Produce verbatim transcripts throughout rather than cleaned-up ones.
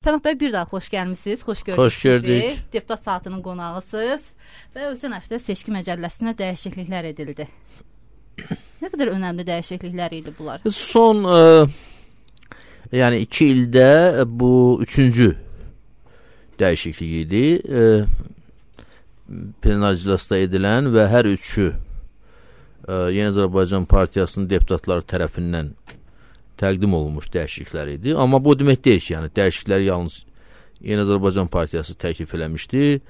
Pənah bəy, bir daha xoş gəlmişsiniz, xoş gördük Xoş gördük. sizi. Deputat saatının qonağısınız və ötən həftə seçki məcəlləsinə dəyişikliklər edildi. Nə qədər önəmli dəyişikliklər idi bunlar? Son e, yəni iki ildə bu üçüncü dəyişiklik idi. E, plenar iclasda edilən və hər üçü e, Yeni Azərbaycan Partiyasının deputatları tərəfindən təqdim olunmuş dəyişikliklər idi. Amma bu demək deyil ki, yəni dəyişiklikləri yalnız Yeni Azərbaycan Partiyası təklif eləmişdi.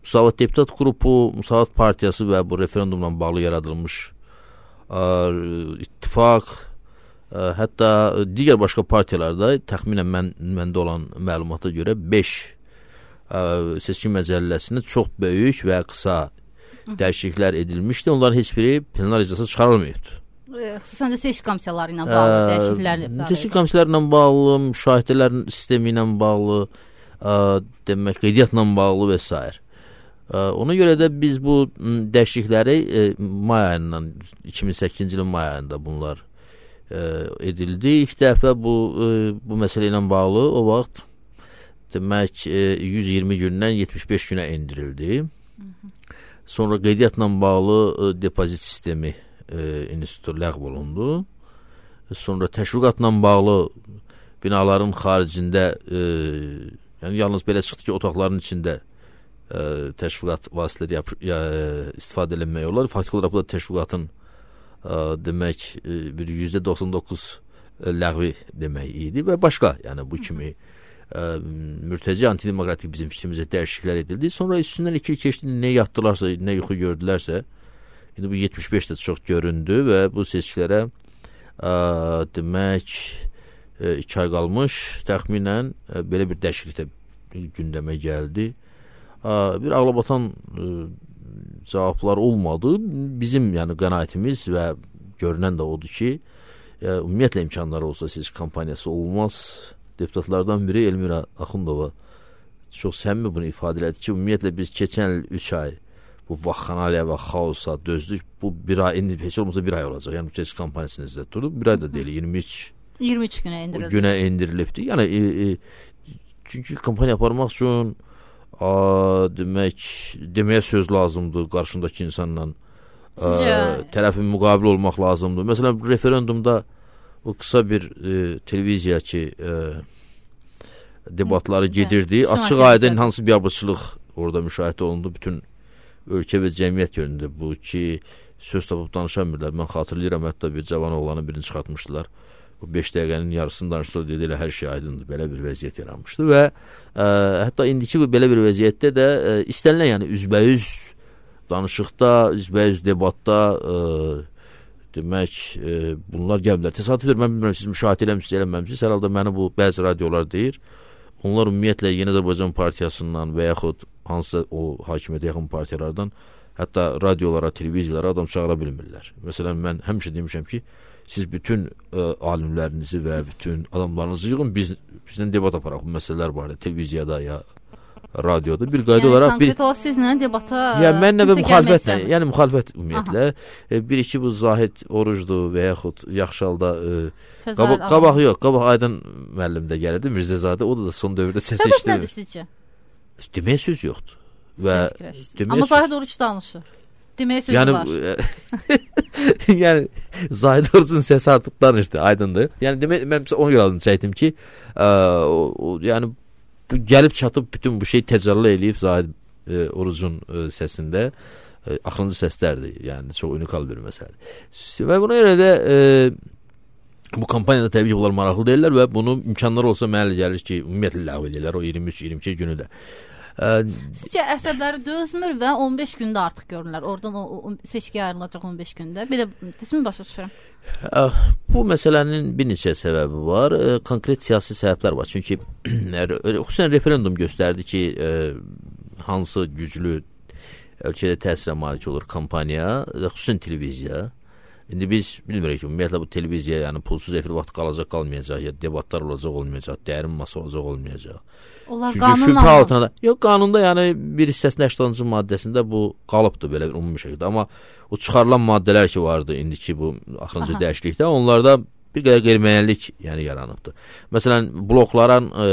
Müsavat Deputat Qrupu, Müsavat Partiyası və bu referendumla bağlı yaradılmış ə, ittifaq, ə, hətta digər başqa partiyalarda təxminən mən, məndə olan məlumata görə beş ə, seçki məcəlləsində çox böyük və qısa dəyişikliklər edilmişdi. Onların heç biri plenar iclasa çıxarılmayıbdır. Xüsusən də seçki komissiyaları ilə bağlı ə, dəyişikliklər var. Seçki komissiyaları ilə bağlı, müşahidələrin sistemi ilə bağlı, ə, demək, qeydiyyatla bağlı və s. Ona görə də biz bu dəyişiklikləri ə, may ayından, iki min səkkizinci ilin may ayında bunlar ə, edildi. İlk dəfə bu, ə, bu məsələ ilə bağlı o vaxt demək ə, yüz iyirmi gündən yetmiş beş günə endirildi. Hı -hı. Sonra qeydiyyatla bağlı ə, depozit sistemi institutu ləğv olundu. Sonra təşviqatla bağlı binaların xaricində e, yəni yalnız belə çıxdı ki, otaqların içində e, təşviqat vasitələri yap, ya, istifadə edilmək olar. Faktiki olaraq bu da təşviqatın e, demək e, bir yüzdə doxsan doqquz ləğvi demək idi və başqa, yəni bu kimi e, mürtəci antidemokratik bizim fikrimizə dəyişikliklər edildi. Sonra üstündən iki il keçdi, nə yatdılarsa, nə yuxu gördülərsə, İndi bu yetmiş beş də çox göründü və bu seçkilərə ə, demək ə, iki ay qalmış təxminən ə, belə bir dəyişiklik də gündəmə gəldi. Ə, bir ağlabatan ə, cavablar olmadı. Bizim yəni qənaətimiz və görünən də odur ki, ə, ümumiyyətlə imkanları olsa seçki kampaniyası olmaz. Deputatlardan biri Elmira Axundova çox səmimi bunu ifadə elədi ki, ümumiyyətlə biz keçən il üç ay bu vaxxanaliyə və xaosa dözdük. Bu bir ay, indi heç olmasa bir ay olacaq. Yəni seçki kampaniyasını izlə durub. Bir ay da deyil, iyirmi üç iyirmi üç günə endirildi. Günə endirilibdir. Yəni e, e, çünki kampaniya aparmaq üçün a, demək, deməyə söz lazımdır qarşındakı insanla. A, tərəfin müqabil olmaq lazımdır. Məsələn, referendumda o qısa bir e, televiziya ki e, debatları gedirdi. Hı, açıq aydın hansı biabırçılıq orada müşahidə olundu. Bütün ölkə və cəmiyyət yönündə bu ki, söz tapıb danışamırlar. Mən xatırlayıram, hətta bir cavan oğlanı birini çıxartmışdılar. Bu beş dəqiqənin yarısını danışdılar, dedi, elə hər şey aydındır. Belə bir vəziyyət yaranmışdı və ə, hətta indiki bu belə bir vəziyyətdə də ə, istənilən, yəni üzbəyüz danışıqda, üzbəyüz debatda ə, demək, ə, bunlar gəlmirlər. Təsadüfdir, mən bilmirəm, siz müşahidə eləmişsiniz, eləməmişsiniz. Hər halda məni bu bəzi radiolar deyir. Onlar ümumiyyətlə Yeni Azərbaycan Partiyasından və yaxud hansısa o hakimiyyətə yaxın partiyalardan hətta radiolara, televiziyalara adam çağıra bilmirlər. Məsələn, mən həmişə demişəm ki, siz bütün ə, alimlərinizi və bütün adamlarınızı yığın, biz, bizdən debat aparaq bu məsələlər barədə, televiziyada ya radioda bir qayda yəni, olaraq bir o sizlə debata yəni mənlə və müxalifətlə, yəni müxalifət ümumiyyətlə e, bir iki bu Zahid Orucdur və yaxud yaxşı halda e, qabaq, qabaq yox, qabaq Aydın müəllim də gəlirdi, Mirzəzadə, o da, da son dövrdə səs eşidir. Səbəb nədir sizcə? Deməyə söz yoxdur. Və amma Zahid Oruc danışır. Deməyə sözü yəni, var. yəni Zahid Orucun səsi artıq danışdı, aydındır. Yəni demək, mən ona görə adını çəkdim ki, ə, o, o, yəni bu gəlib çatıb bütün bu şey təcəlli eləyib Zahid e, Orucun e, səsində e, axırıncı səslərdir. Yəni çox unikal bir məsələdir. Və buna görə də e, bu kampaniyada təbii ki, bunlar maraqlı deyirlər və bunu imkanları olsa mənə gəlir ki, ümumiyyətlə ləğv edirlər o iyirmi üç iyirmi iki günü də. Sizcə əsəbləri dözmür və on beş gündə artıq görürlər. Oradan o, o seçkiyə ayrılacaq on beş gündə. Belə düzmü başa düşürəm? Bu məsələnin bir neçə səbəbi var. Konkret siyasi səbəblər var. Çünki xüsusən referendum göstərdi ki, hansı güclü ölkədə təsirə malik olur kampaniya, xüsusən televiziya. İndi biz bilmirik ki, ümumiyyətlə bu televiziya, yəni pulsuz efir vaxt qalacaq, qalmayacaq, ya debatlar olacaq, olmayacaq, dərin masa olacaq, olmayacaq. Onlar çünki şübhə altına da, yox, qanunda yəni bir hissəsində səkkizinci maddəsində bu qalıbdır belə ümumi şəkildə, amma o çıxarılan maddələr ki vardı indiki bu axırıncı dəyişiklikdə, onlarda bir qədər qeyri-müəyyənlik yəni yaranıbdır. Məsələn, blokların e,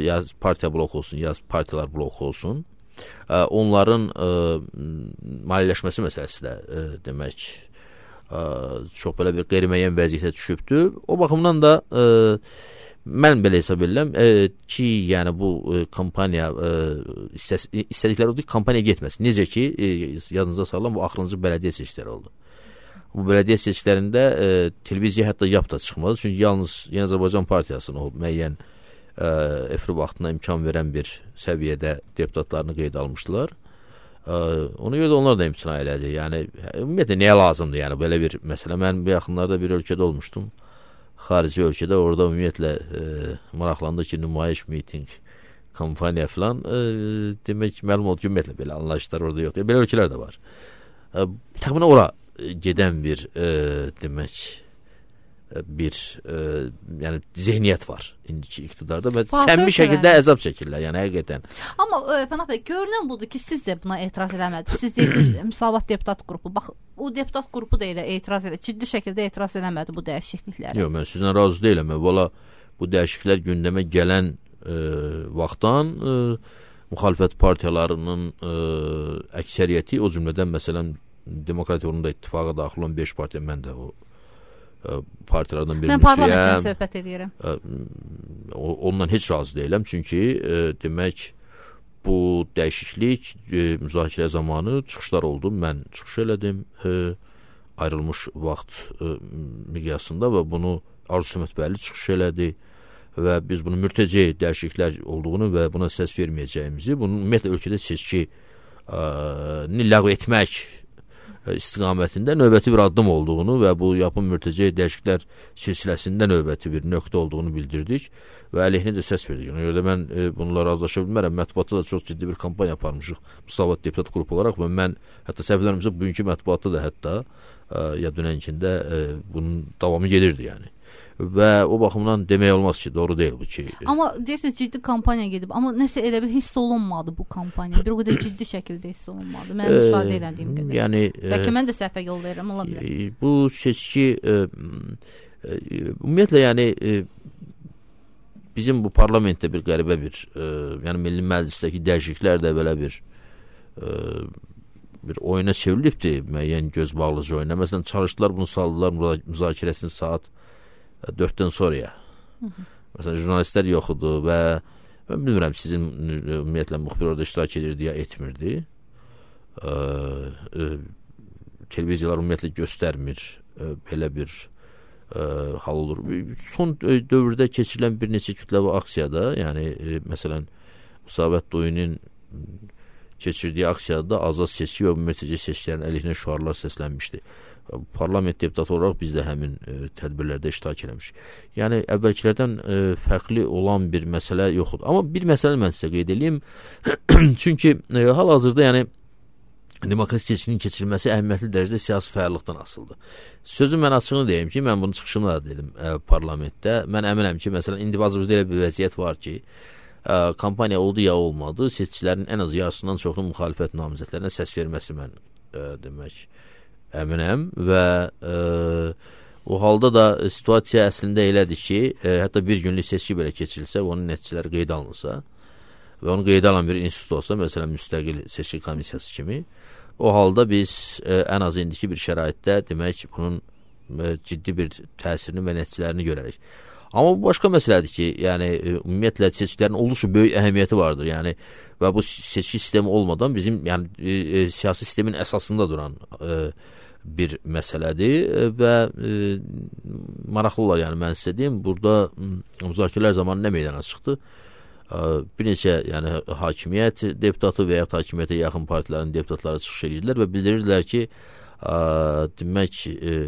ya partiya bloku olsun, ya partiyalar bloku olsun, e, onların e, maliyyələşməsi məsələsi də e, demək e, çox belə bir qeyri-müəyyən vəziyyətə düşübdür. O baxımdan da e, mən belə hesab edirəm e, ki, yəni bu e, kampaniya e, istəs, istədikləri odur ki, kampaniya getməsin. Necə ki, e, yadınızda salıram, bu axırıncı bələdiyyə seçkiləri oldu. Bu bələdiyyə seçkilərində e, televiziya hətta yap da çıxmadı. Çünki yalnız Yeni Azərbaycan Partiyasının o müəyyən e, efir vaxtına imkan verən bir səviyyədə deputatlarını qeyd almışdılar. E, ona görə də onlar da imtina elədi. Yəni, ümumiyyətlə, nəyə lazımdır? Yəni, belə bir məsələ. Mən bu yaxınlarda bir ölkədə olmuşdum. Xarici ölkədə, orada ümumiyyətlə e, maraqlandı ki, nümayiş, miting, kampaniya filan, e, demək, məlum oldu ki, ümumiyyətlə belə anlayışlar orada yoxdur. Belə ölkələr də var. E, təxminən ora gedən bir e, demək bir e, yəni zehniyyət var indiki iqtidarda və səmimi şəkildə əzab çəkirlər, yəni həqiqətən. Amma e, Pənah bəy, görünən budur ki, siz də buna etiraz eləmədiniz. Siz deyirsiniz Müsavat deputat qrupu. Bax, o deputat qrupu da elə etiraz edə, ciddi şəkildə etiraz eləmədi bu dəyişikliklərə. Yox, mən sizlə razı deyiləm. Valla bu dəyişikliklər gündəmə gələn e, vaxtdan e, müxalifət partiyalarının e, əksəriyyəti, o cümlədən məsələn Demokrat yolunda ittifaqa daxil olan beş partiya, mən də o ə, partiyalardan birini mən parlamentdən söhbət edirəm. Ə, ondan heç razı deyiləm, çünki ə, demək bu dəyişiklik ə, müzakirə zamanı çıxışlar oldu. Mən çıxış elədim ə, ayrılmış vaxt ə, miqyasında və bunu Arzu Səmədbəyli çıxış elədi və biz bunu mürtəci dəyişikliklər olduğunu və buna səs verməyəcəyimizi, bunun ümumiyyətlə ölkədə seçki ə, ləğv etmək istiqamətində növbəti bir addım olduğunu və bu yapım mürtəci dəyişikliklər silsiləsində növbəti bir nöqtə olduğunu bildirdik və əleyhinə də səs verdik. Ona görə də mən e, bununla razılaşa bilmərəm. Mətbuatda da çox ciddi bir kampaniya aparmışıq Müsavat deputat qrupu olaraq və mən hətta səhvlərimizə bugünkü mətbuatda da hətta e, ya dünənkində e, bunun davamı gedirdi yəni. Və o baxımdan demək olmaz ki, doğru deyil bu ki. Amma deyirsiniz ciddi kampaniya gedib, amma nəsə elə bir hiss olunmadı bu kampaniya. Bir o qədər ciddi şəkildə hiss olunmadı. Mən müşahidə elədiyim qədər. Yəni, bəlkə mən də səhvə yol verirəm, ola bilər. E, bu seçki e, e, ümumiyyətlə yəni e, bizim bu parlamentdə bir qəribə bir e, yəni Milli Məclisdəki dəyişikliklər də belə bir e, bir oyuna çevrilibdir, müəyyən göz bağlıcı oyuna. Məsələn, çalışdılar bunu saldılar müzakirəsini saat dörddən sonraya. Hı -hı. Məsələn, jurnalistlər yox idi və mən bilmirəm sizin ümumiyyətlə müxbir orada iştirak edirdi ya etmirdi. E, e, televiziyalar ümumiyyətlə göstərmir e, belə bir e, hal olur. Son dövrdə keçirilən bir neçə kütləvi aksiyada, yəni e, məsələn Müsavat Doyunun keçirdiyi aksiyada azad seçki və mürtəci seçkilərin əleyhinə şüarlar səslənmişdi. Parlament deputatı olaraq biz də həmin e, tədbirlərdə iştirak eləmişik. Yəni əvvəlkilərdən e, fərqli olan bir məsələ yoxdur. Amma bir məsələ mən sizə qeyd edeyim. Çünki e, hal-hazırda yəni demokratik seçkinin keçirilməsi əhəmiyyətli dərəcədə siyasi fəallıqdan asılıdır. Sözün mən açığını deyim ki, mən bunu çıxışımda da dedim e, parlamentdə. Mən əminəm ki, məsələn, indi bazımızda elə bir vəziyyət var ki, e, kampaniya oldu ya olmadı, seçkilərin ən az yarısından çoxlu müxalifət namizədlərinə səs verməsi mən e, demək əminəm və e, o halda da situasiya əslində elədir ki, e, hətta bir günlük seçki belə keçirilsə və onun nəticələri qeyd alınsa və onu qeyd alan bir institut olsa, məsələn, müstəqil seçki komissiyası kimi, o halda biz e, ən az indiki bir şəraitdə demək bunun e, ciddi bir təsirini və nəticələrini görərik. Amma bu başqa məsələdir ki, yəni e, ümumiyyətlə seçkilərin olduqca böyük əhəmiyyəti vardır. Yəni və bu seçki sistemi olmadan bizim yəni e, e, siyasi sistemin əsasında duran e, bir məsələdir və e, maraqlı olar, yəni mən sizə deyim, burada müzakirələr zamanı nə meydana çıxdı? E, bir neçə yəni hakimiyyət deputatı və ya hakimiyyətə yaxın partilərin deputatları çıxış edirlər və bildirirdilər ki, e, demək e,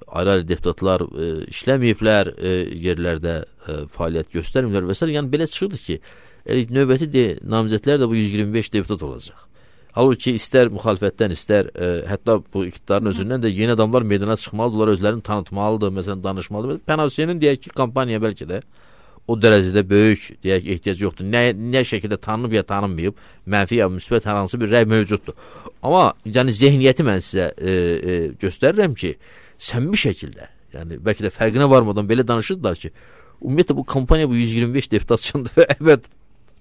ayrı-ayrı deputatlar e, işləməyiblər, e, yerlərdə e, fəaliyyət göstərmirlər və s. Yəni belə çıxırdı ki, e, növbəti de, namizədlər də bu yüz iyirmi beş deputat olacaq. Halbuki istər müxalifətdən, istər e, hətta bu iqtidarın özündən də yeni adamlar meydana çıxmalıdırlar, özlərini tanıtmalıdır, məsələn, danışmalıdır. Pənah Hüseynin deyək ki, kampaniya bəlkə də o dərəcədə böyük, deyək, ehtiyac yoxdur. Nə, nə şəkildə tanınıb ya tanınmayıb, mənfi ya müsbət hər hansı bir rəy mövcuddur. Amma yəni zehniyyəti mən sizə e, e, göstərirəm ki, səmimi şəkildə, Yəni bəlkə də fərqinə varmadan belə danışırdılar ki, ümumiyyətlə bu kampaniya bu yüz iyirmi beş deputat üçündür və əbəd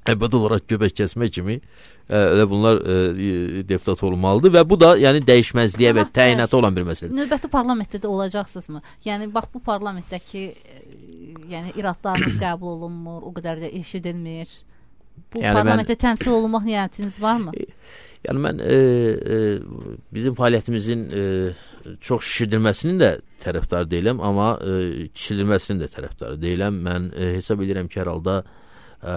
əbəd olaraq göbək kəsmə kimi elə bunlar e, deputat olmalıdır və bu da yəni dəyişməzliyə və təyinata olan bir məsələdir. Növbəti parlamentdə də olacaqsınızmı? Yəni bax bu parlamentdəki yəni iradlarınız qəbul olunmur, o qədər də eşidilmir. Bu yəni parlamentdə mən, təmsil olunmaq niyyətiniz varmı? Yəni mən e, e, bizim fəaliyyətimizin e, çox şişirdilməsinin də tərəfdarı deyiləm, amma e, kişildilməsinin də tərəfdarı deyiləm. Mən e, hesab edirəm ki, hər halda e,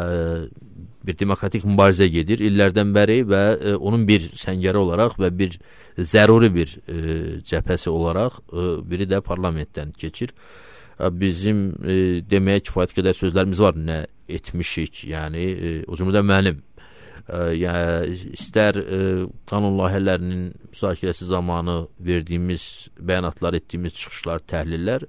bir demokratik mübarizə gedir illərdən bəri və e, onun bir səngəri olaraq və bir zəruri bir e, cəbhəsi olaraq e, biri də parlamentdən keçir. E, bizim e, deməyə kifayət qədər sözlərimiz var, nə etmişik, yəni e, o cümlədən mənim. Yəni istər e, qanun layihələrinin müzakirəsi zamanı verdiyimiz bəyanatlar, etdiyimiz çıxışlar, təhlillər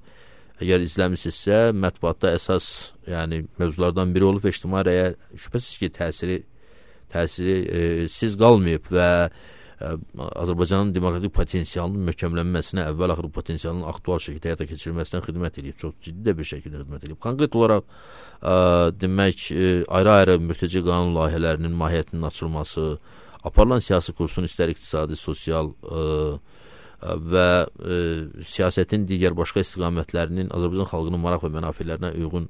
əgər izləmisinizsə mətbuatda əsas yəni mövzulardan biri olub və ictimai rəyə şübhəsiz ki təsiri təsiri e, siz qalmayıb və e, Azərbaycanın demokratik potensialının möhkəmlənməsinə, əvvəl-axır potensialının aktual şəkildə həyata keçirilməsinə xidmət edib, çox ciddi də bir şəkildə xidmət edib. Konkret olaraq ə, demək ayrı-ayrı mürtəci qanun layihələrinin mahiyyətinin açılması, aparılan siyasi kursun istər iqtisadi, sosial ə, ə, və ə, siyasətin digər başqa istiqamətlərinin Azərbaycan xalqının maraq və mənafələrinə uyğun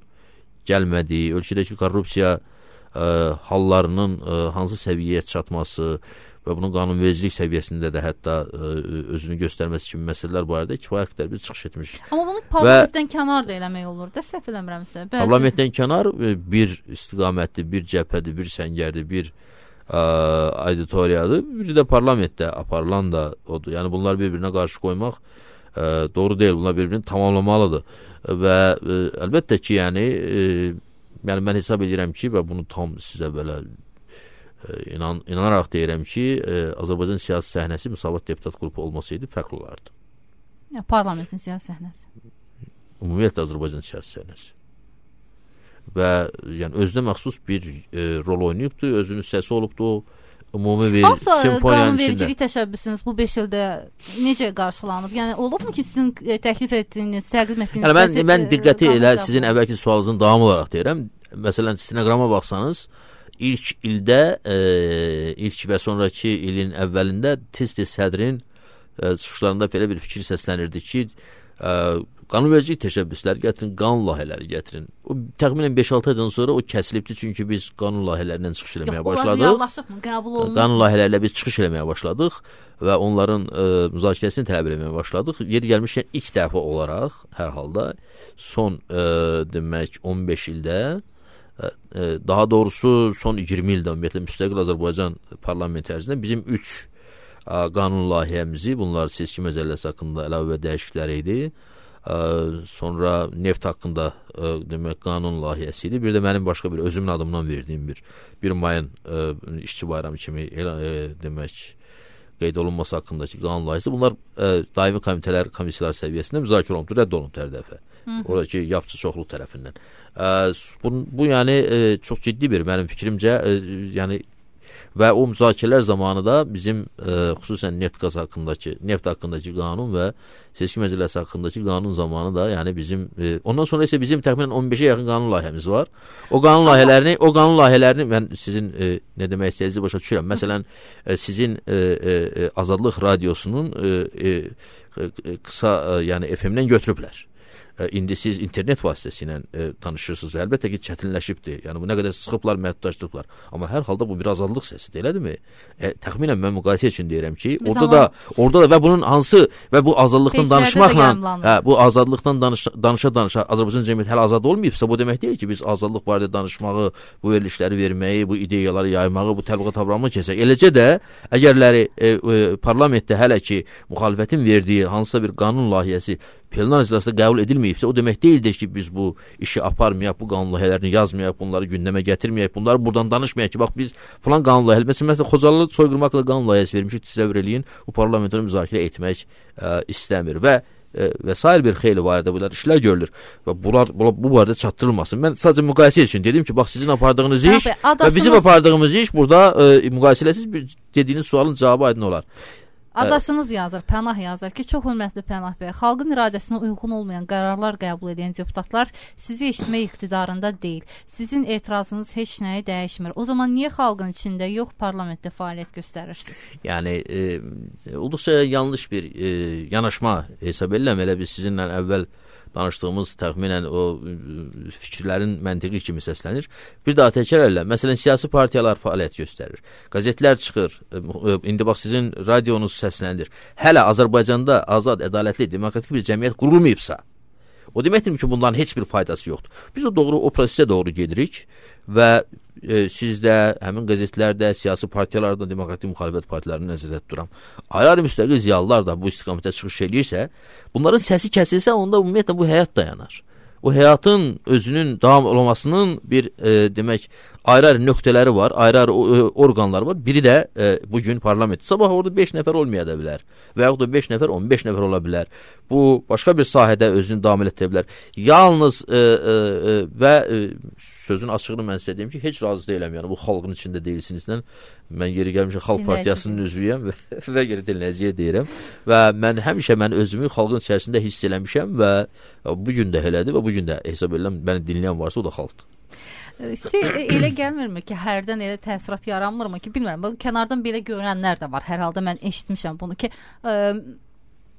gəlmədiyi, ölkədəki korrupsiya ə, hallarının ə, hansı səviyyəyə çatması və bunun qanunvericilik səviyyəsində də hətta ə, özünü göstərməsi kimi məsələlər barədə kifayət qədər bir çıxış etmiş. Amma bunu parlamentdən və kənar da eləmək olur da, səhv eləmirəmsə. Bəzi... Parlamentdən kənar bir istiqamətdir, bir cəbhədir, bir səngərdir, bir ə, auditoriyadır, bir də parlamentdə aparılan da odur. Yəni bunlar bir-birinə qarşı qoymaq ə, doğru deyil, bunlar bir-birini tamamlamalıdır. Və ə, əlbəttə ki, yəni, ə, yəni mən hesab edirəm ki, və bunu tam sizə belə İnan, inanaraq deyirəm ki, e, Azərbaycan siyasi səhnəsi Müsavat deputat qrupu olmasaydı fərqli olardı. Ya, parlamentin siyasi səhnəsi. Ümumiyyətlə Azərbaycan siyasi səhnəsi. Və yəni özünə məxsus bir e, rol oynayıbdır, özünün səsi olubdur, ümumi bir simfoniyanın içində. Qanunvericilik təşəbbüsünüz bu beş ildə necə qarşılanıb? Yəni olubmu ki, sizin e, təklif etdiyiniz, təqdim etdiyiniz... Yəni mən, mən diqqəti elə sizin əvvəlki sualınızın davamı olaraq deyirəm. Məsələn, stenoqrama baxsanız, İlk ildə, e, ilk və sonraki ilin əvvəlində tez-tez sədrin e, çıxışlarında belə bir fikir səslənirdi ki, e, qanunvericilik təşəbbüsləri gətirin, qanun layihələri gətirin. O təxminən beş altı aydan sonra o kəsilibdi, çünki biz qanun layihələrindən çıxış eləməyə Yox, başladıq. Yox, qəbul olunur. Qanun layihələrlə biz çıxış eləməyə başladıq və onların e, müzakirəsini tələb eləməyə başladıq. Yeri gəlmişkən ilk dəfə olaraq hər halda son e, demək on beş ildə, daha doğrusu son iyirmi ildə ümumiyyətlə müstəqil Azərbaycan parlamenti ərzində bizim üç ə, qanun layihəmizi, bunlar seçki məcəlləsi haqqında əlavə və dəyişikliklər idi. Ə, sonra neft haqqında ə, demək qanun layihəsi idi. Bir də mənim başqa bir özümün adımdan verdiyim bir bir mayın ə, işçi bayramı kimi elə, ə, demək qeyd olunması haqqındakı qanun layihəsi. Bunlar ə, daimi komitələr, komissiyalar səviyyəsində müzakirə olundu, rədd olundu hər dəfə. Oradakı yapıcı çoxluq tərəfindən. Ə, bu, bu yəni ə, çox ciddi bir mənim fikrimcə ə, yəni və o müzakirələr zamanı da bizim ə, xüsusən neft qaz haqqındakı, neft haqqındakı qanun və seçki məcəlləsi haqqındakı qanun zamanı da yəni bizim ə, ondan sonra isə bizim təxminən on beşə yaxın qanun layihəmiz var. O qanun layihələrini, o qanun layihələrini mən sizin ə, nə demək istədiyinizi başa düşürəm. Məsələn, ə, sizin ə, ə, Azadlıq radiosunun ə, ə, qısa ə, yəni F M-dən götürüblər. İndi siz internet vasitəsilə e, danışırsınız. Əlbəttə ki, çətinləşibdir. Yəni bu nə qədər sıxıblar, məhdudlaşdırıblar. Amma hər halda bu bir azadlıq səsidir, elədirmi? E, təxminən mən müqayisə üçün deyirəm ki, Biz orada da orada da və bunun hansı və bu azadlıqdan danışmaqla, hə, bu azadlıqdan danış, danışa danışa Azərbaycan cəmiyyəti hələ azad olmayıbsa, bu demək deyil ki, biz azadlıq barədə danışmağı, bu verilişləri verməyi, bu ideyaları yaymağı, bu təbliğat avramını keçək. Eləcə də əgərləri e, e, parlamentdə hələ ki müxalifətin verdiyi hansısa bir qanun layihəsi plenar iclasda qəbul edilməyibsə, o demək deyildir ki, biz bu işi aparmayaq, bu qanun layihələrini yazmayaq, bunları gündəmə gətirməyək, bunları buradan danışmayaq ki, bax biz falan qanun layihələri, məsələn, Xocalı soyqırmaqla qanun layihəsi vermişik, təsəvvür eləyin, bu parlamentoda müzakirə etmək ə, istəmir və ə, və sair bir xeyli barədə bunlar işlər görülür və bunlar, bunlar bu barədə çatdırılmasın. Mən sadəcə müqayisə üçün dedim ki, bax sizin apardığınız iş Tabii, və bizim apardığımız iş burada ə, müqayisələsiz bir dediyiniz sualın cavabı aydın olar. Adaşınız yazır, Pənah yazır ki, çox hörmətli Pənah bəy, xalqın iradəsinə uyğun olmayan qərarlar qəbul edən deputatlar sizi eşitmək iqtidarında deyil. Sizin etirazınız heç nəyi dəyişmir. O zaman niyə xalqın içində yox, parlamentdə fəaliyyət göstərirsiniz? Yəni e, olduqca yanlış bir e, yanaşma hesab edirəm. Elə biz sizinlə əvvəl danışdığımız təxminən o fikirlərin məntiqi kimi səslənir. Bir daha təkrar edirəm. Məsələn, siyasi partiyalar fəaliyyət göstərir. Qəzetlər çıxır. İndi bax sizin radionuz səslənir. Hələ Azərbaycanda azad, ədalətli, demokratik bir cəmiyyət qurulmayıbsa, o deməkdir ki, bunların heç bir faydası yoxdur. Biz o doğru o prosesə doğru gedirik və e, sizdə, həmin qəzetlərdə, siyasi partiyalarda, demokratik müxalifət partiyalarını nəzərdə tuturam. Ayrı müstəqil ziyalılar da bu istiqamətə çıxış eləyirsə, bunların səsi kəsilsə, onda ümumiyyətlə bu həyat dayanar. O həyatın özünün davam olmasının bir e, demək ayrı-ayrı nöqtələri var, ayrı-ayrı orqanlar var. Biri də e, bugün parlament. Sabah orada beş nəfər olmaya da bilər və yaxud da beş nəfər, on beş nəfər ola bilər. Bu başqa bir sahədə özünü davam etdirə bilər. Yalnız e, e, və e, sözün açığını mən sizə deyim ki, heç razı deyiləm. Yəni bu xalqın içində deyilsinizlə. Mən yeri gəlmişəm Xalq Partiyasının üzvüyəm və, və geri dinləyiciyə deyirəm. Və mən həmişə mən özümü xalqın içərisində hiss eləmişəm və bugün də elədir və bugün də hesab edirəm, məni dinləyən varsa o da xalqdır. Siz elə gəlmirmi ki, hərdən elə təsirat yaranmırmı ki, bilmirəm, kənardan belə görənlər də var. Hər halda mən eşitmişəm bunu ki, ə,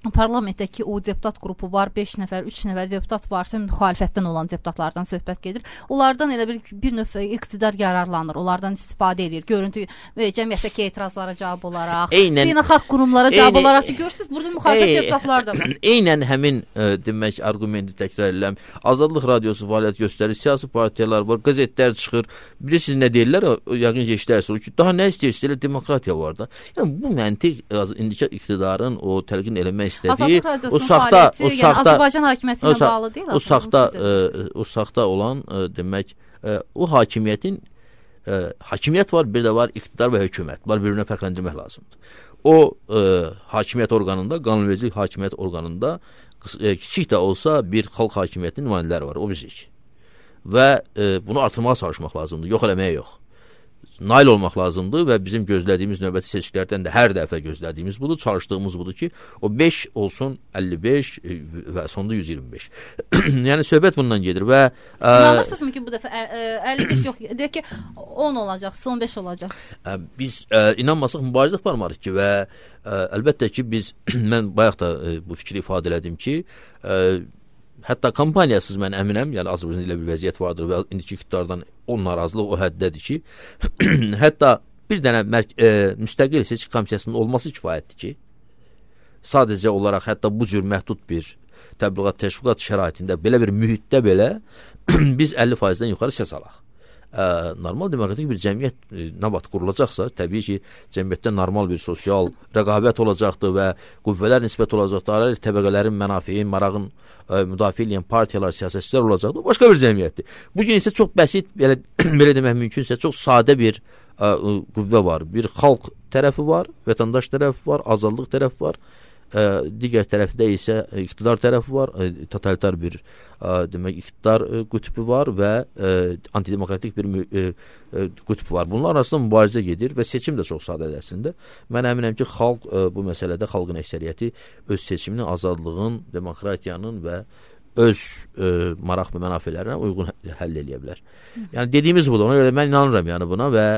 parlamentdəki o deputat qrupu var, beş nəfər, üç nəfər deputat varsa, müxalifətdən olan deputatlardan söhbət gedir. Onlardan elə bir, bir növ iqtidar yararlanır, onlardan istifadə edir. Görüntü, cəmiyyətdəki etirazlara cavab olaraq, beynəlxalq qurumlara cavab olaraq ki, görürsünüz, burada müxalifət ey, deputatlar da var. Eynən həmin ə, demək arqumenti təkrar edirəm. Azadlıq radiosu fəaliyyət göstərir, siyasi partiyalar var, qəzetlər çıxır. Bilirsiniz nə deyirlər? Yəqin ki, eşidərsiniz ki, daha nə istəyirsiniz? Elə demokratiya var da. Yəni bu məntiq indiki iqtidarın o təlqin eləmək istədiyi, o saxta, o yəni saxta, Azərbaycan hakimiyyətinə o, bağlı deyil. O saxta, ə, o saxta olan ə, demək, ə, o hakimiyyətin ə, hakimiyyət var, bir də var iqtidar və hökumət. Bunlar bir-birinə fərqləndirmək lazımdır. O ə, hakimiyyət orqanında, qanunvericilik hakimiyyət orqanında ə, kiçik də olsa bir xalq hakimiyyətinin nümayəndələri var, o bizik. Və ə, bunu artırmağa çalışmaq lazımdır, yox eləməyə yox. Nail olmaq lazımdır və bizim gözlədiyimiz növbəti seçkilərdən də hər dəfə gözlədiyimiz budur, çalışdığımız budur ki, o beş olsun əlli beş və sonunda yüz iyirmi beş. Yəni söhbət bundan gedir və İnanırsınızmı ki, bu dəfə əlli beş yox, deyək ki, on olacaq, on beş olacaq. Biz ə, inanmasaq mübarizə aparmarıq ki və ə, əlbəttə ki, biz mən bayaq da ə, bu fikri ifadə elədim ki, ə, hətta kampaniyasız mən əminəm, yəni Azərbaycanda elə bir vəziyyət vardır və indiki iqtidardan o narazılıq o həddədir ki, hətta bir dənə e, müstəqil seçki komissiyasının olması kifayətdir ki, sadəcə olaraq hətta bu cür məhdud bir təbliğat, təşviqat şəraitində, belə bir mühitdə belə biz əlli faizdən yuxarı səs alaq. Ə, normal demokratik bir cəmiyyət e, nə vaxt qurulacaqsa, təbii ki, cəmiyyətdə normal bir sosial rəqabət olacaqdır və qüvvələr nisbət olacaqdır, ayrı təbəqələrin mənafeyin, marağın ə, müdafiə edən partiyalar, siyasətçilər olacaqdır. Başqa bir cəmiyyətdir. Bugün isə çox bəsit, belə, belə demək mümkünsə, çox sadə bir ə, qüvvə var. Bir xalq tərəfi var, vətəndaş tərəfi var, azadlıq tərəfi var. Ə, digər tərəfdə isə iqtidar tərəfi var, ə, totalitar bir ə, demək iqtidar ə, qütbü var və ə, antidemokratik bir ə, ə, qütb var. Bunlar arasında mübarizə gedir və seçim də çox sadədir əslində. Mən əminəm ki, xalq ə, bu məsələdə xalqın əksəriyyəti öz seçimini azadlığın, demokratiyanın və öz ə, maraq və mənafələrinə uyğun həll eləyə bilər. Yəni dediyimiz budur. Ona görə mən inanıram yəni buna və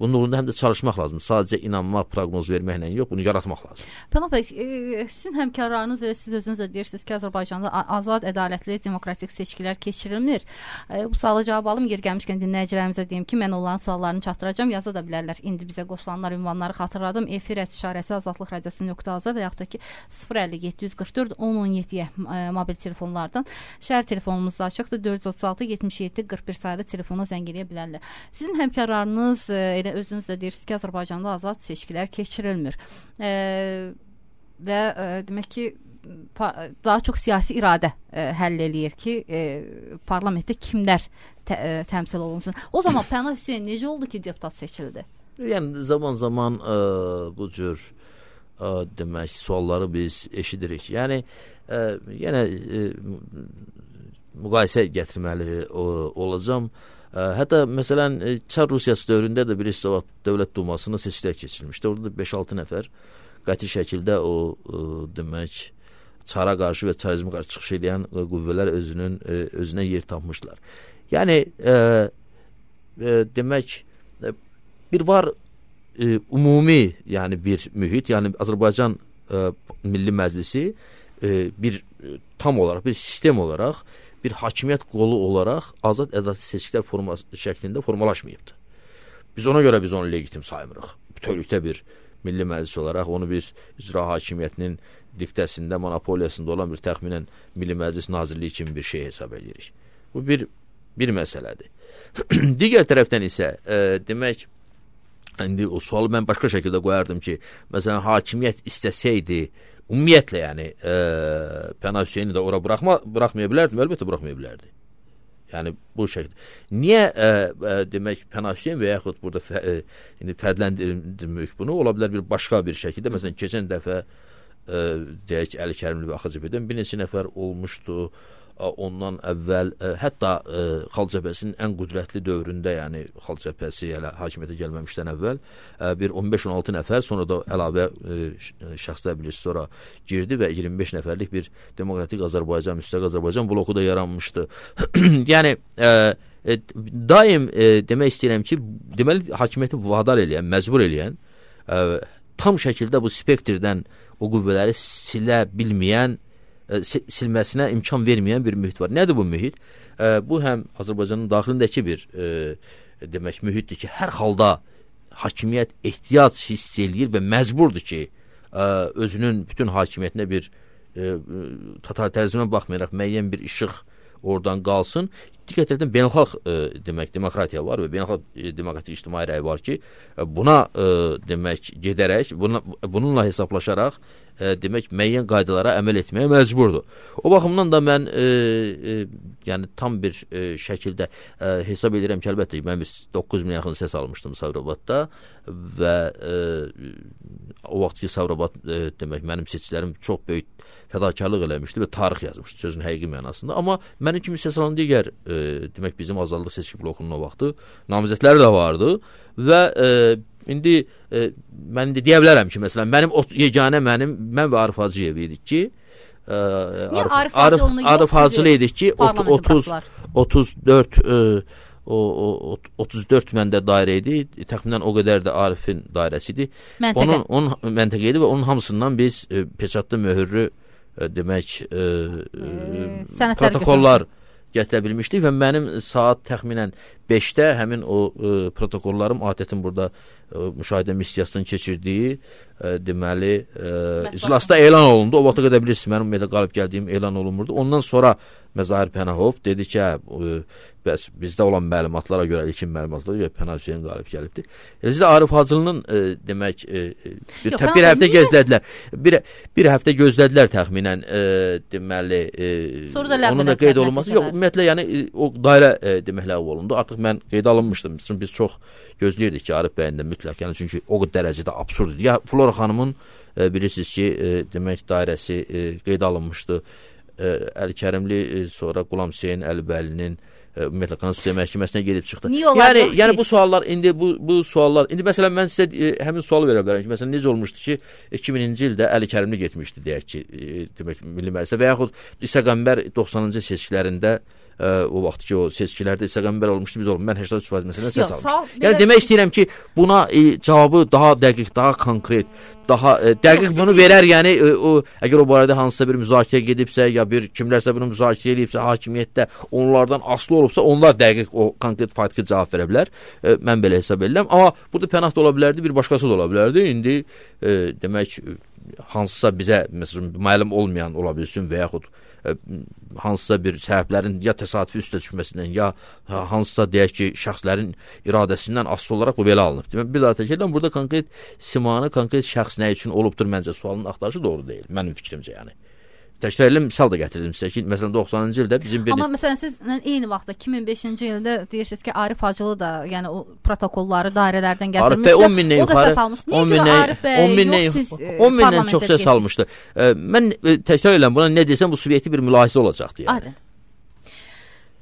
bunun uğrunda həm də çalışmaq lazımdır. Sadəcə inanmaq, proqnoz verməklə yox, bunu yaratmaq lazım. Pənah bəy, e, sizin həmkarlarınız və siz özünüz də deyirsiniz ki, Azərbaycanda azad, ədalətli, demokratik seçkilər keçirilmir. E, bu suala cavab alım, yer gəlmişkən dinləyicilərimizə deyim ki, mən onların suallarını çatdıracağam, yaza da bilərlər. İndi bizə qoşulanlar ünvanları xatırladım. Efir işarəsi azadlıq radiosu nöqtə az və yaxud da ki sıfır əlli yeddi yüz qırx dörd on on yeddiyə e, mobil telefonlardan şəhər telefonumuz açıqdır. dörd yüz otuz altı yetmiş yeddi qırx bir sayılı telefona zəng eləyə bilərlər. Sizin həmkarlarınız e, elə özünüz də deyirsiniz ki, Azərbaycanda azad seçkilər keçirilmir. E, və e, demək ki, daha çox siyasi iradə e, həll eləyir ki, e, parlamentdə kimlər tə, e, təmsil olunsun. O zaman Pənah Hüseyn necə oldu ki, deputat seçildi? Yəni zaman-zaman e, bu cür e, demək sualları biz eşidirik. Yəni e, yenə e, müqayisə gətirməli o, olacağım. Hətta məsələn Çar Rusiyası dövründə də bir Dövlət Dumasına seçkilər keçirilmişdi. Orada da beş altı nəfər qəti şəkildə o ə, demək çara qarşı və çarizmə qarşı çıxış edən ə, qüvvələr özünün ə, özünə yer tapmışlar. Yəni ə, ə, demək ə, bir var ə, ümumi, yəni bir mühit, yəni Azərbaycan ə, Milli Məclisi ə, bir ə, tam olaraq, bir sistem olaraq, bir hakimiyyət qolu olaraq azad ədalətli seçkilər forması şəklində formalaşmayıbdır. Biz ona görə biz onu legitim saymırıq. Bütövlükdə bir Milli Məclis olaraq onu bir icra hakimiyyətinin diktəsində, monopoliyasında olan bir təxminən Milli Məclis Nazirliyi kimi bir şey hesab edirik. Bu bir bir məsələdir. Digər tərəfdən isə e, demək, indi o sualı mən başqa şəkildə qoyardım ki, məsələn, hakimiyyət istəsəydi, ümumiyyətlə, yəni e, Pənah Hüseyni də ora buraxma, buraxmaya bilərdim, əlbəttə buraxmaya bilərdi. Yəni bu şəkildə. Niyə e, e, demək Pənah Hüseyn və yaxud burada fə, e, indi fərqləndirmək bunu ola bilər bir başqa bir şəkildə. Məsələn, keçən dəfə e, deyək Əli Kərimli və Axıcıbədən bir neçə nəfər olmuşdu. Ondan əvvəl ə, hətta ə, Xalq Cəbhəsinin ən qüdrətli dövründə, yəni Xalq Cəbhəsi hələ hakimiyyətə gəlməmişdən əvvəl ə, bir on beş on altı nəfər, sonra da əlavə ə, şəxslər bilirsiz sonra girdi və iyirmi beş nəfərlik bir Demokratik Azərbaycan, Müstəqil Azərbaycan bloku da yaranmışdı. Yəni ə, ə, daim ə, demək istəyirəm ki, deməli hakimiyyəti vadar eləyən, məcbur eləyən, ə, tam şəkildə bu spektrdən o qüvvələri silə bilməyən, silməsinə imkan verməyən bir mühit var. Nədir bu mühit? E, bu həm Azərbaycanın daxilindəki bir e, demək mühitdir ki, hər halda hakimiyyət ehtiyac hiss eləyir və məcburdur ki, e, özünün bütün hakimiyyətinə bir e, totalitarizmə baxmayaraq müəyyən bir işıq oradan qalsın. Digər tərəfdən beynəlxalq e, demək demokratiya var və beynəlxalq e, demokratik ictimai rəy var ki, e, buna e, demək gedərək, buna, bununla hesablaşaraq e, demək müəyyən qaydalara əməl etməyə məcburdur. O baxımdan da mən e, e, yəni tam bir e, şəkildə e, hesab edirəm ki, əlbəttə mən doqquz min yaxın səs almışdım Sabirabadda və e, o vaxt ki Sabirabad e, demək mənim seçicilərim çox böyük fədakarlıq eləmişdi və tarix yazmışdı sözün həqiqi mənasında. Amma mənim kimi səs alan digər e, demək bizim azadlıq seçki blokunun o vaxtı namizədləri də vardı və e, indi e, mən de deyə bilərəm ki, məsələn, mənim yeganə mənim, mən və Arif Hacıyev idik ki, e, Arif, Arif, Arif, Arif Hacılı idik ki, otuz, otuz dörd e, o, o, otuz dörd məndə dairə idi, təxminən o qədər də Arifin dairəsi idi. Məntəqə. Onun, onun məntəqə idi və onun hamısından biz e, peçatlı möhürlü e, demək e, e, protokollar gətirə bilmişdik və mənim saat təxminən beşdə həmin o e, protokollarım adətin burada e, müşahidə missiyasının keçirdiyi e, deməli e, iclasda elan olundu. O vaxta qədər bilirsiniz mənim ümumiyyətlə qalib gəldiyim elan olunmurdu. Ondan sonra Məzahir Pənahov dedi ki, hə, bəs bizdə olan məlumatlara görə, ilkin məlumatlara görə Pənah Hüseyn qalib gəlibdir. Eləcə də Arif Hacılının e, demək e, bir, Yox, bir həftə gözlədilər. Bir, bir həftə gözlədilər təxminən e, deməli e, onun da qeyd olunması. Yox, ümumiyyətlə yəni o dairə e, demək ləğv olundu. Artıq mən qeydə alınmışdım. Çünki biz çox gözləyirdik ki, Arif bəyin də mütləq, yəni çünki o dərəcədə absurd idi. Ya Flora xanımın e, bilirsiniz ki, e, demək dairəsi e, qeydə alınmışdı. Əli Kərimli, sonra Qulam Hüseyn Əlibəlinin ümumiyyətlə Konstitusiya Məhkəməsinə gedib çıxdı. Yəni, yəni bu suallar indi bu bu suallar indi məsələn mən sizə e, həmin sualı verə bilərəm ki, məsələn necə olmuşdu ki, iki mininci ildə Əli Kərimli getmişdi deyək ki, e, demək Milli Məclisə və yaxud İsa Qəmbər doxsanıncı seçkilərində ə, o vaxt ki o seçkilərdə İsa Qəmbər olmuşdu, biz olmuş. Mən səksən üç faiz məsələn səs almışdım. Yəni demək istəyirəm ki, buna e, cavabı daha dəqiq, daha konkret, daha e, dəqiq bunu verər, yəni e, o əgər o barədə hansısa bir müzakirə gedibsə ya bir kimlərsə bunu müzakirə edibsə, hakimiyyətdə onlardan asılı olubsa, onlar dəqiq o konkret faktiki cavab verə bilər. E, mən belə hesab edirəm. Amma burada Pənah da ola bilərdi, bir başqası da ola bilərdi. İndi e, demək hansısa bizə məsələn məlum olmayan ola bilsin və yaxud ə, hansısa bir səbəblərin ya təsadüfi üstə düşməsindən ya hansısa deyək ki, şəxslərin iradəsindən asılı olaraq bu belə alınıb. Demək, bir daha təkrar edirəm, burada konkret simanı, konkret şəxs nə üçün olubdur məncə sualının axtarışı doğru deyil. Mənim fikrimcə yəni. Təkrar edirəm, misal da gətirdim sizə ki, məsələn doxsanıncı ildə bizim bir... Amma məsələn siz eyni vaxtda iki min beşinci ildə deyirsiniz ki, Arif Hacılı da, yəni o protokolları dairələrdən gətirmişdi. on mindən yuxarı, on mindən çox səs almışdı. Mən təkrar edirəm, buna nə desəm bu subyektiv bir mülahizə olacaqdı yəni.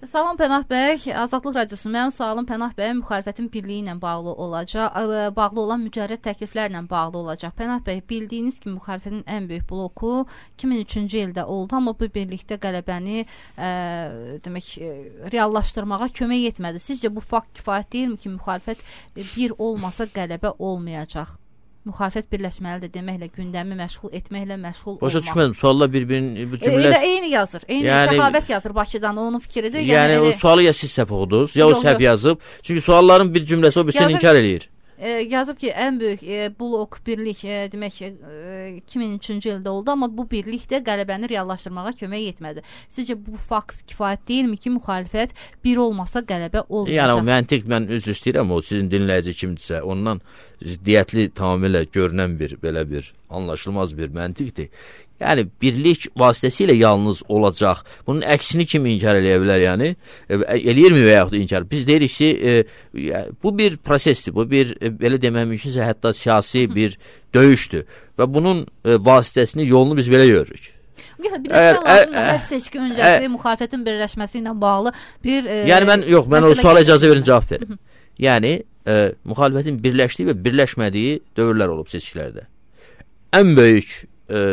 Salam Pənah bəy, Azadlıq Radiosu. Mənim sualım Pənah bəy müxalifətin birliyi ilə bağlı olacaq, bağlı olan mücərrəd təkliflərlə bağlı olacaq. Pənah bəy, bildiyiniz kimi müxalifətin ən böyük bloku iki min üçüncü ildə oldu, amma bu birlikdə qələbəni ə, demək reallaşdırmağa kömək etmədi. Sizcə bu fakt kifayət deyilmi ki, müxalifət bir olmasa qələbə olmayacaq? Müxalifət birləşməlidir deməklə, gündəmi məşğul etməklə məşğul olmaq. Başa düşmədim, sualla bir-birini bu cümlə... Elə eyni yazır, eyni yəni, Səxavət yazır Bakıdan, onun fikridir. Yəni, yəni o sualı ya siz səhv oxudunuz, ya o səhv yazıb. Çünki sualların bir cümləsi o birisini inkar eləyir. E, yazıb ki, ən böyük e, blok birlik e, demək ki, e, iki min üçüncü ildə oldu, amma bu birlik də qələbəni reallaşdırmağa kömək etmədi. Sizcə bu fakt kifayət deyilmi ki, müxalifət bir olmasa qələbə olmayacaq? Yəni o məntiq, mən üzr istəyirəm, o sizin dinləyici kimdirsə, ondan ziddiyyətli tamamilə görünən bir, belə bir anlaşılmaz bir məntiqdir. Yəni, birlik vasitəsilə yalnız olacaq. Bunun əksini kim inkar eləyə bilər, yəni? E, eləyirmi və yaxud inkar? Biz deyirik ki, e, bu bir prosesdir, bu bir, e, belə demək mümkünsə, hətta siyasi bir döyüşdür. Və bunun e, vasitəsini, yolunu biz belə görürük. Birləşmə lazımdır, hər seçki öncəsi müxalifətin birləşməsi ilə bağlı bir... E, yəni, mən, yox, mən o suala icazə verin, cavab verim. Yəni, e, müxalifətin birləşdiyi və birləşmədiyi dövrlər olub seçkilərdə. Ən böyük e,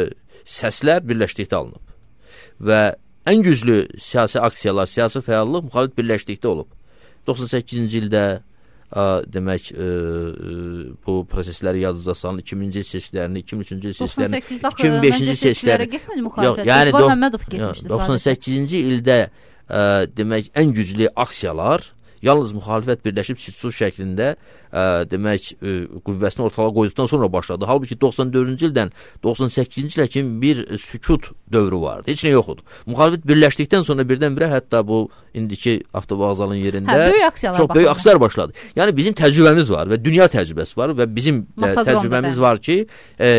səslər birləşdikdə alınıb və ən güclü siyasi aksiyalar, siyasi fəallıq müxalifət birləşdikdə olub. doxsan səkkizinci ildə ə, demək ə, bu prosesləri yadınıza salın, iki minci il seçkilərini, iki min üçüncü il seçkilərini, iki min beşinci il seçkilərini. Yox, yəni doxsan səkkizinci ildə ə, demək ən güclü aksiyalar yalnız müxalifət birləşib sülh şəklində ə, demək ə, qüvvəsini ortalığa qoyduqdan sonra başladı. Halbuki doxsan dördüncü ildən doxsan səkkizinci ilə kimi bir sükut dövrü vardı. Heç nə yoxdur. Müxalifət birləşdikdən sonra birdən-birə hətta bu indiki avtovağzalın yerində hə, böyük aksiyalar çox böyük aksiyalar başladı. Yəni bizim təcrübəmiz var və dünya təcrübəsi var və bizim ə, təcrübəmiz var ki, ə,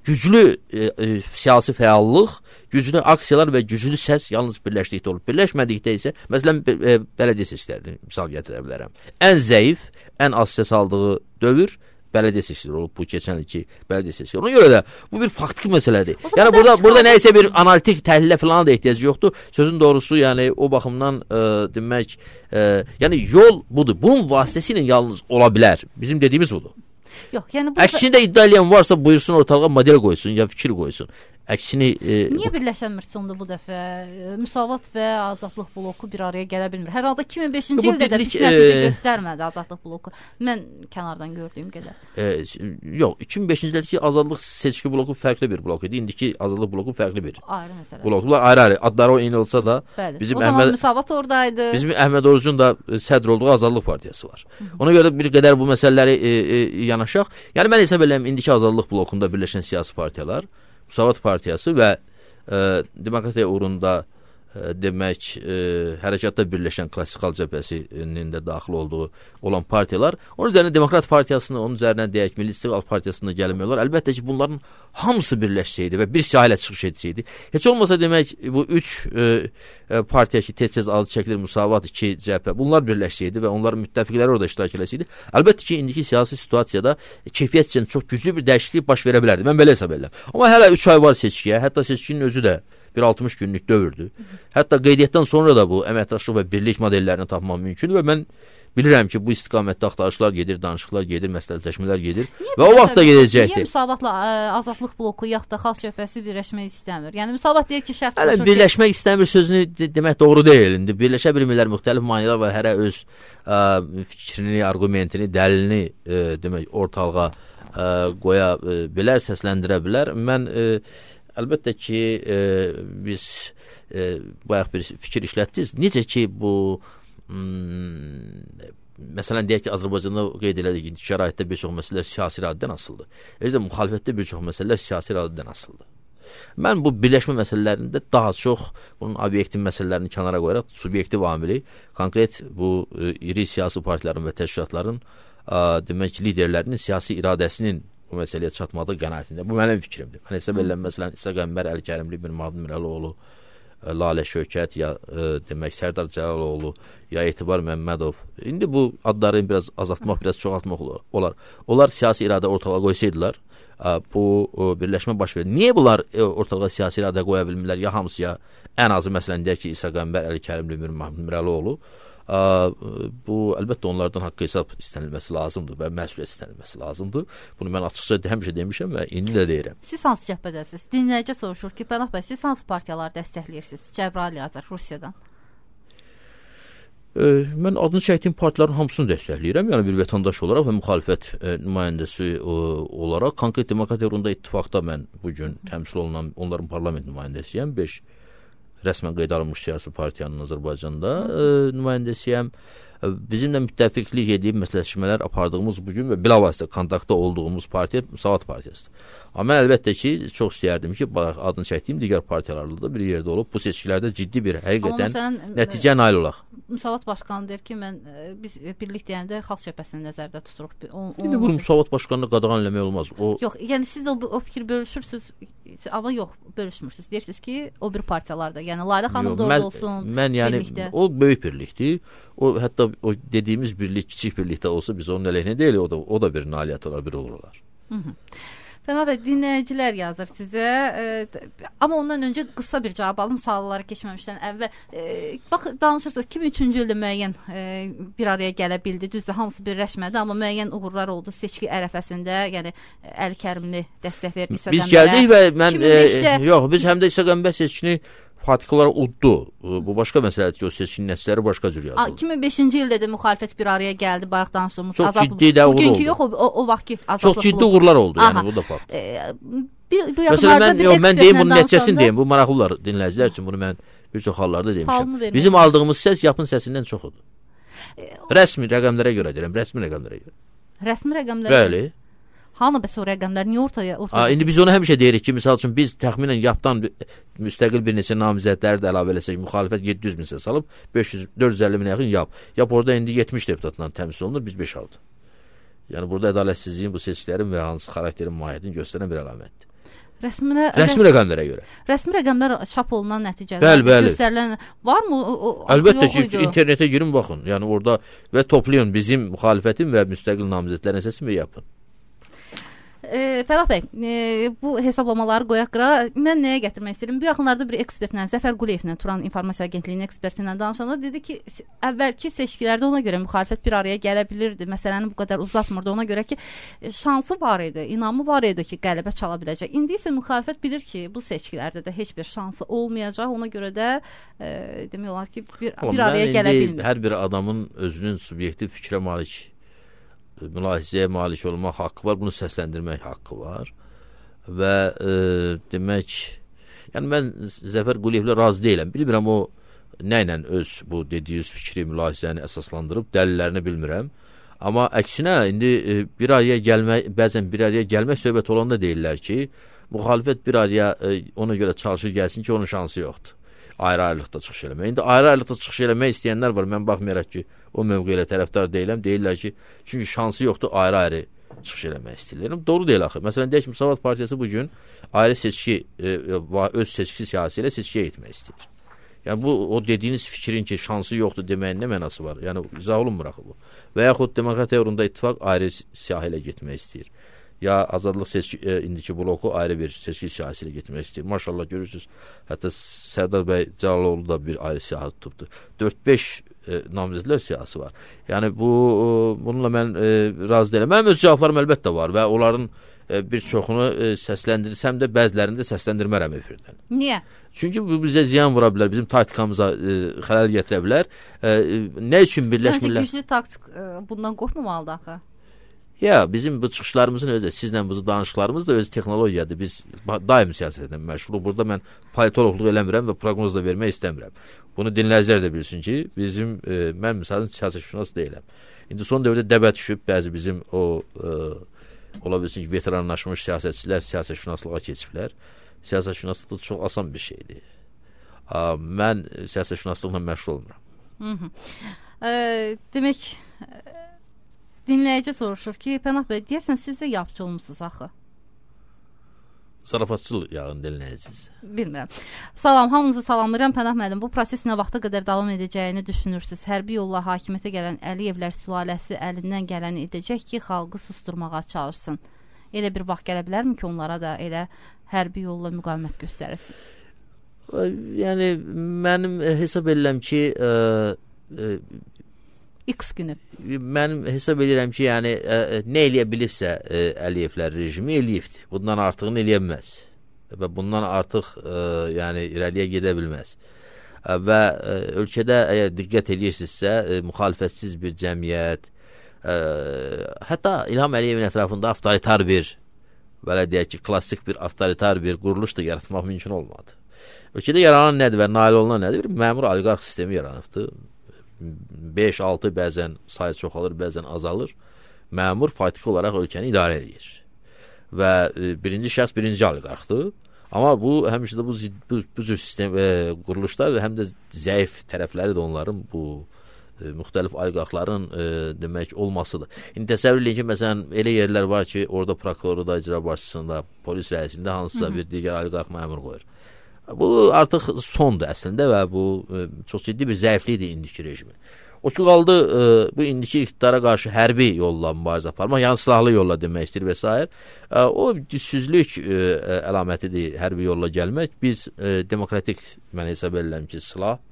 güclü e, e, siyasi fəallıq, güclü aksiyalar və güclü səs yalnız birləşdikdə olur. Birləşmədikdə isə, məsələn, e, bələdiyyə seçkilərini misal gətirə bilərəm. Ən zəif, ən az səs aldığı dövr bələdiyyə seçkiləri olub, bu keçən ilki bələdiyyə seçkiləri. Ona görə də bu bir faktiki məsələdir. Yəni burada burada nə isə bir analitik təhlilə falan da ehtiyac yoxdur. Sözün doğrusu, yəni o baxımdan e, demək, e, yəni yol budur. Bunun vasitəsilə yalnız ola bilər. Bizim dediyimiz budur. Yox, yəni burada... Əksində iddia edən varsa buyursun ortalığa model qoysun ya fikir qoysun. Əksini e, niyə birləşənmirsə onda bu dəfə Müsavat və Azadlıq bloku bir araya gələ bilmir? Hər halda iki min beşinci ildə də pis nəticə e, göstərmədi Azadlıq bloku. Mən kənardan gördüyüm qədər. E, yox, iki min beşinci ildəki Azadlıq seçki bloku fərqli bir blok idi. İndiki Azadlıq bloku fərqli bir. Ayrı məsələ. Bloklar ayrı-ayrı. Adları o eyni olsa da bəli. Bizim o zaman Əhməd Müsavat oradaydı. Bizim Əhməd Orucun da sədr olduğu Azadlıq partiyası var. Hı -hı. Ona görə bir qədər bu məsələləri e, e, yanaşaq. Yəni mən hesab edirəm indiki Azadlıq blokunda birləşən siyasi partiyalar Müsavat partiyası və e, demokratiya uğrunda e, demək e, hərəkatda birləşən klassikal cəbhəsinin də daxil olduğu olan partiyalar, onun üzərinə Demokrat partiyasını, onun üzərinə deyək Milli İstiqlal partiyasını gəlmiyorlar. Əlbəttə ki, bunların hamısı birləşsəydi və bir sahələ çıxış etsəydi. Heç olmasa demək bu üç e, e, partiya ki, tez-tez adı çəkilir, Müsavat, iki cəbhə, bunlar birləşsəydi və onların müttəfiqləri orada iştirak eləsəydi, əlbəttə ki, indiki siyasi situasiyada keyfiyyət üçün çox güclü bir dəyişiklik baş verə bilərdi. Mən belə hesab edirəm. Amma hələ üç ay var seçkiyə, hətta seçkinin özü də bir altmış günlük dövrdür. Hətta qeydiyyatdan sonra da bu əməkdaşlıq və birlik modellərini tapmaq mümkündür və mən bilirəm ki, bu istiqamətdə axtarışlar gedir, danışıqlar gedir, məsləhətləşmələr gedir niyə və o vaxt da gedəcəkdir. Niyə Müsavatla ə, Azadlıq bloku yaxud da Xalq Cəbhəsi birləşmək istəmir? Yəni Müsavat deyir ki, şərt Hələ birləşmək ki... istəmir sözünü de demək doğru deyil. İndi birləşə bilmirlər, müxtəlif maneələr var, hərə öz ə, fikrini, argumentini, dəlilini ə, demək ortalığa ə, qoya ə, bilər, səsləndirə bilər. Mən ə, əlbəttə ki, ə, biz ə, bayaq bir fikir işlətdiniz. Necə ki, bu Hmm, məsələn deyək ki, Azərbaycanda qeyd elədik ki, şəraitdə bir çox məsələlər siyasi iradədən asılıdır. Eləcə müxalifətdə bir çox məsələlər siyasi iradədən asılıdır. Mən bu birləşmə məsələlərində daha çox bunun obyektiv məsələlərini kənara qoyaraq subyektiv amili, konkret bu e, iri siyasi partilərin və təşkilatların e, demək liderlərinin siyasi iradəsinin bu məsələyə çatmadığı qənaətində. Bu mənim fikrimdir. Mən hesab edirəm, məsələn, İsa Qəmbər, Əli Kərimli, bir Mahmud Mirəloğlu, Lalə Şövkət, ya ə, demək Sərdar Cəlaloğlu, ya Etibar Məmmədov. İndi bu adları biraz azaltmaq, biraz çoxaltmaq olar. Onlar siyasi iradə ortalığa qoysaydılar, ə, bu ə, birləşmə baş verir. Niyə bunlar ə, ortalığa siyasi iradə qoya bilmirlər? Ya hamısı, ya ən azı məsələn deyək ki, İsa Qəmbər, Əli Kərimli, Mir Mahmud Mirəlioğlu. Ə, bu əlbəttə onlardan haqq hesab istənilməsi lazımdır və məsuliyyət istənilməsi lazımdır. Bunu mən açıqca həmişə demişəm və indi də deyirəm. Siz hansı cəbhədəsiniz? Dinləyici soruşur ki, Pənah bəy, siz hansı partiyaları dəstəkləyirsiniz? Cəbrayıl yazır Rusiyadan. Ə, mən adını çəkdiyim partilərin hamısını dəstəkləyirəm. Yəni bir vətəndaş olaraq və müxalifət ə, nümayəndəsi ə, olaraq Konkret Demokratiya Uğrunda İttifaqda mən bu gün təmsil olunan onların parlament nümayəndəsiyəm. beş rəsmən qeydə alınmış siyasi partiyanın Azərbaycanda ə, nümayəndəsiyəm. Bizimlə müttəfiqlik edib məsləhətləşmələr apardığımız bugün və bilavasitə kontaktda olduğumuz partiya Müsavat Partiyasıdır. Amma mən əlbəttə ki, çox istəyərdim ki, adını çəkdiyim digər partiyalarla da bir yerdə olub bu seçkilərdə ciddi bir həqiqətən məsələn, nəticə nail olaq. Müsavat başqanı deyir ki, mən biz birlik deyəndə xalq cəbhəsini nəzərdə tuturuq. O, o, İndi bu Müsavat başqanını qadağan eləmək olmaz. O Yox, yəni siz o, o fikir bölüşürsüz, amma yox, bölüşmürsüz. Deyirsiniz ki, o bir partiyalarda, yəni Lalə xanım da orada olsun. Mən yəni birlikdə. O böyük birlikdir. O hətta o dediyimiz birlik kiçik birlikdə olsa biz onun əleyhinə deyil, o da o da bir nailiyyət olar, bir uğur olar. Hı -hı. Pənah bəy, dinləyicilər yazır sizə, e, amma ondan öncə qısa bir cavab alım, suallara keçməmişdən əvvəl. E, bax, danışırsınız, iki min üçüncü ildə müəyyən e, bir araya gələ bildi, düzdür, hamısı birləşmədi, amma müəyyən uğurlar oldu seçki ərəfəsində, yəni Əli Kərimli dəstək verdi İsa Qəmbərə. Biz gəldik və mən, e, yox, biz həm də İsa Qəmbər seçkini fatiklər uddu. Bu başqa məsələdir ki, o seçkin nəticələri başqa cür yazılır. iki min beşinci ildə də müxalifət bir araya gəldi, bayaq danışdığımız çox azad, ciddi də uğur oldu. Bugünkü yox, o, o, o vaxtki azadlıq. Çox ciddi uğurlar oldu, Aha. yəni bu da fakt. E, bir, bu Məsələn, mən, yox, mən deyim bunun nəticəsini deyim, bu maraqlılar dinləyicilər üçün bunu mən bir çox hallarda demişəm. Bizim aldığımız səs yapın səsindən çoxudur. E, rəsmi rəqəmlərə görə deyirəm, rəsmi rəqəmlərə görə. Rəsmi rəqəmlərə? Bəli. Hanı bəs o rəqəmlər niyə ortaya ortaya? A, indi biz onu həmişə deyirik ki, misal üçün biz təxminən yapdan müstəqil bir neçə namizədləri də əlavə eləsək, müxalifət yeddi yüz min səs alıb, beş yüz dörd yüz əlli minə yaxın yap. Yap orada indi yetmiş deputatla təmsil olunur, biz beş aldıq. Yəni burada ədalətsizliyin, bu seçkilərin və hansı xarakterin mahiyyətini göstərən bir əlamətdir. Rəsmi, rəsmi rəqəmlərə görə. Rəsmi rəqəmlər çap olunan nəticələr bəli, bəli. göstərilən varmı? O, o, Əlbəttə ki, idi. internetə girin baxın. Yəni orada və toplayın bizim müxalifətin və müstəqil namizədlərin səsini yapın. E, Pənah bəy, e, bu hesablamaları qoyaq qıra. Mən nəyə gətirmək istəyirəm? Bu yaxınlarda bir ekspertlə, Zəfər Quliyevlə, Turan İnformasiya Agentliyinin eksperti ilə danışanda dedi ki, əvvəlki seçkilərdə ona görə müxalifət bir araya gələ bilirdi. Məsələni bu qədər uzatmırdı. Ona görə ki, şansı var idi, inamı var idi ki, qələbə çala biləcək. İndi isə müxalifət bilir ki, bu seçkilərdə də heç bir şansı olmayacaq. Ona görə də e, demək olar ki, bir, bir araya gələ bilmir. Hər bir adamın özünün subyektiv fikrə malik mülahizəyə malik olmaq haqqı var, bunu səsləndirmək haqqı var və e, demək, yəni mən Zəfər Quliyevlə razı deyiləm, bilmirəm o nə ilə öz bu dediyiniz fikri mülahizəni əsaslandırıb, dəlillərini bilmirəm, amma əksinə indi e, bir araya gəlmək, bəzən bir araya gəlmək söhbət olanda deyirlər ki, müxalifət bir araya e, ona görə çalışır gəlsin ki, onun şansı yoxdur. Ayrı-ayrılıqda çıxış eləmək. İndi ayrı-ayrılıqda çıxış eləmək istəyənlər var. Mən baxmayaraq ki, o mövqeyə tərəfdar deyiləm. Deyirlər ki, çünki şansı yoxdur, ayrı-ayrı çıxış eləmək istəyirlər. Doğru deyil axı. Məsələn, deyək ki, Müsavat Partiyası bugün ayrı seçki, e, öz seçki siyasi ilə seçkiyə etmək istəyir. Yəni bu, o dediyiniz fikrin ki, şansı yoxdur deməyin nə mənası var? Yəni, izah olunmur axı bu. Və yaxud Demokratiya Uğrunda İttifaq ayrı siyahı ilə getmək istəyir. Ya azadlıq seçki, e, indiki bloku ayrı bir seçki siyasi ilə getmək istəyir. Maşallah görürsünüz, hətta Sərdar bəy Cəlaloğlu da bir ayrı siyahı tutubdur. dörd beş e, namizədlər siyasi var. Yəni bu e, bununla mən e, razı deyiləm. Mənim öz cavablarım əlbəttə var və onların e, bir çoxunu e, səsləndirsəm də bəzilərini də səsləndirmərəm efirdən. Niyə? Çünki bu bizə ziyan vura bilər, bizim taktikamıza e, xələl gətirə bilər. E, nə üçün birləşmirlər? Məncə güclü taktik e, bundan qorxmamalıdır axı. Ya, bizim bu çıxışlarımızın özü, sizlə bu danışıqlarımız da öz texnologiyadır. Biz daim siyasətlə məşğuluq. Burada mən politoloqluq eləmirəm və proqnoz da vermək istəmirəm. Bunu dinləyicilər də bilsin ki, bizim, e, mən misalın siyasətşünas deyiləm. İndi son dövrdə dəbə düşüb, bəzi bizim o, e, ola bilsin ki, veteranlaşmış siyasətçilər siyasətşünaslığa keçiblər. Siyasətşünaslıq da çox asan bir şeydir. A, mən siyasətşünaslıqla məşğul olmuram. Hı -hı. E, demək... Dinləyici soruşur ki, Pənah bəy, deyərsən siz də yapıcı olmuşsunuz axı. zarafatçıl yağın dinləyəcəksiniz. Bilmirəm. Salam, hamınızı salamlayıram. Pənah müəllim, bu proses nə vaxta qədər davam edəcəyini düşünürsünüz? Hərbi yolla hakimiyyətə gələn Əliyevlər sülaləsi əlindən gələni edəcək ki, xalqı susturmağa çalışsın. Elə bir vaxt gələ bilərmi ki, onlara da elə hərbi yolla müqavimət göstərilsin? Yəni, mənim hesab edirəm ki, ə, ə, X günü. Mənim hesab edirəm ki, yəni ə, nə eləyə bilibsə ə, Əliyevlər rejimi eləyibdir. Bundan artığını eləyə bilməz. Və bundan artıq ə, yəni irəliyə gedə bilməz. Ə, və ə, ölkədə əgər diqqət edirsinizsə, ə, müxalifətsiz bir cəmiyyət, ə, hətta İlham Əliyevin ətrafında avtoritar bir, belə deyək ki, klassik bir avtoritar bir quruluş da yaratmaq mümkün olmadı. Ölkədə yaranan nədir və nail olunan nədir? Bir məmur oliqarx sistemi yaranıbdır. beş altı bəzən sayı çoxalır, bəzən azalır. Məmur faktiki olaraq ölkəni idarə edir. Və e, birinci şəxs birinci oliqarxdır. Amma bu həmişə də bu, bu, bu cür sistem e, quruluşlar həm də zəif tərəfləri də onların bu e, müxtəlif oliqarxların e, demək olmasıdır. İndi təsəvvür edin ki, məsələn, elə yerlər var ki, orada prokurorda, icra başçısında, polis rəisində hansısa bir digər oliqarx məmur qoyur. Bu artıq sondur əslində və bu e, çox ciddi bir zəiflikdir indiki rejimi. O ki qaldı e, bu indiki iqtidara qarşı hərbi yolla mübarizə aparmaq, yəni silahlı yolla demək istəyir və s. E, o gücsüzlük e, əlamətidir hərbi yolla gəlmək. Biz e, demokratik, mən hesab edirəm ki, silah,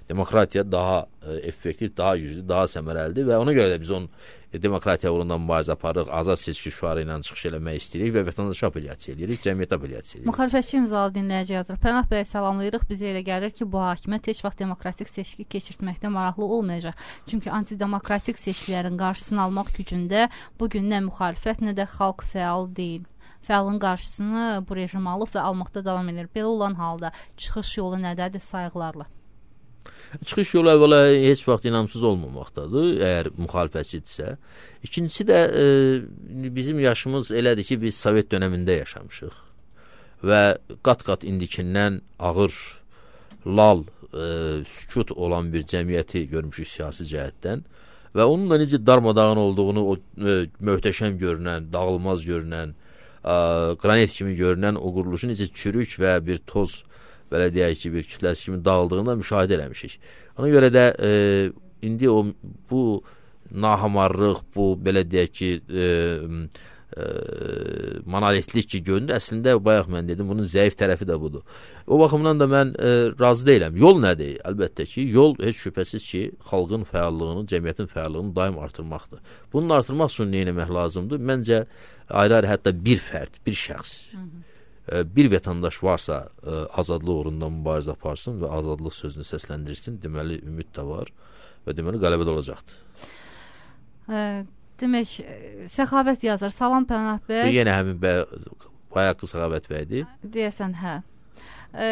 demokratiya daha e, effektiv, daha güclü, daha səmərəlidir və ona görə də biz onun e, demokratiya uğrunda mübarizə aparırıq, azad seçki şüarı ilə çıxış eləmək istəyirik və vətəndaşa apellyasiya edirik, cəmiyyətə apellyasiya edirik. Müxalifətçi imzalı dinləyici yazır. Pənah bəy, salamlayırıq. Bizə elə gəlir ki, bu hakimiyyət heç vaxt demokratik seçki keçirtməkdə maraqlı olmayacaq. Çünki antidemokratik seçkilərin qarşısını almaq gücündə bugün nə müxalifət, nə də xalq fəal deyil. Fəalın qarşısını bu rejim alıb və almaqda davam edir. Belə olan halda çıxış yolu nədədir? Sayğılarla. Çıxış yolu əvvəla heç vaxt inamsız olmamaqdadır, əgər müxalifətçidirsə. İkincisi də e, bizim yaşımız elədir ki, biz Sovet dönəmində yaşamışıq və qat-qat indikindən ağır, lal, e, sükut olan bir cəmiyyəti görmüşük siyasi cəhətdən və onun da necə darmadağın olduğunu, o e, möhtəşəm görünən, dağılmaz görünən, e, qranit kimi görünən o quruluşun necə çürük və bir toz, belə deyək ki, bir kütləsi kimi dağıldığını da müşahidə eləmişik. Ona görə də e, indi o bu nahamarlıq, bu belə deyək ki, e, e, monolitlik ki, göründü. Əslində, bayaq mən dedim, bunun zəif tərəfi də budur. O baxımdan da mən e, razı deyiləm. Yol nədir? Əlbəttə ki, yol heç şübhəsiz ki, xalqın fəallığını, cəmiyyətin fəallığını daim artırmaqdır. Bunun artırmaq üçün nə etmək lazımdır? Məncə, ayrı-ayrı hətta bir fərd, bir şəxs, Hı -hı. bir vətəndaş varsa azadlıq uğrunda mübarizə aparsın və azadlıq sözünü səsləndirsin, deməli ümid də var və deməli qələbə də olacaqdır. Ə, demək, Səxavət yazır. Salam Pənah bəy. Bu yenə həmin bayaq Səxavət bəydir. Deyəsən, hə. Ə,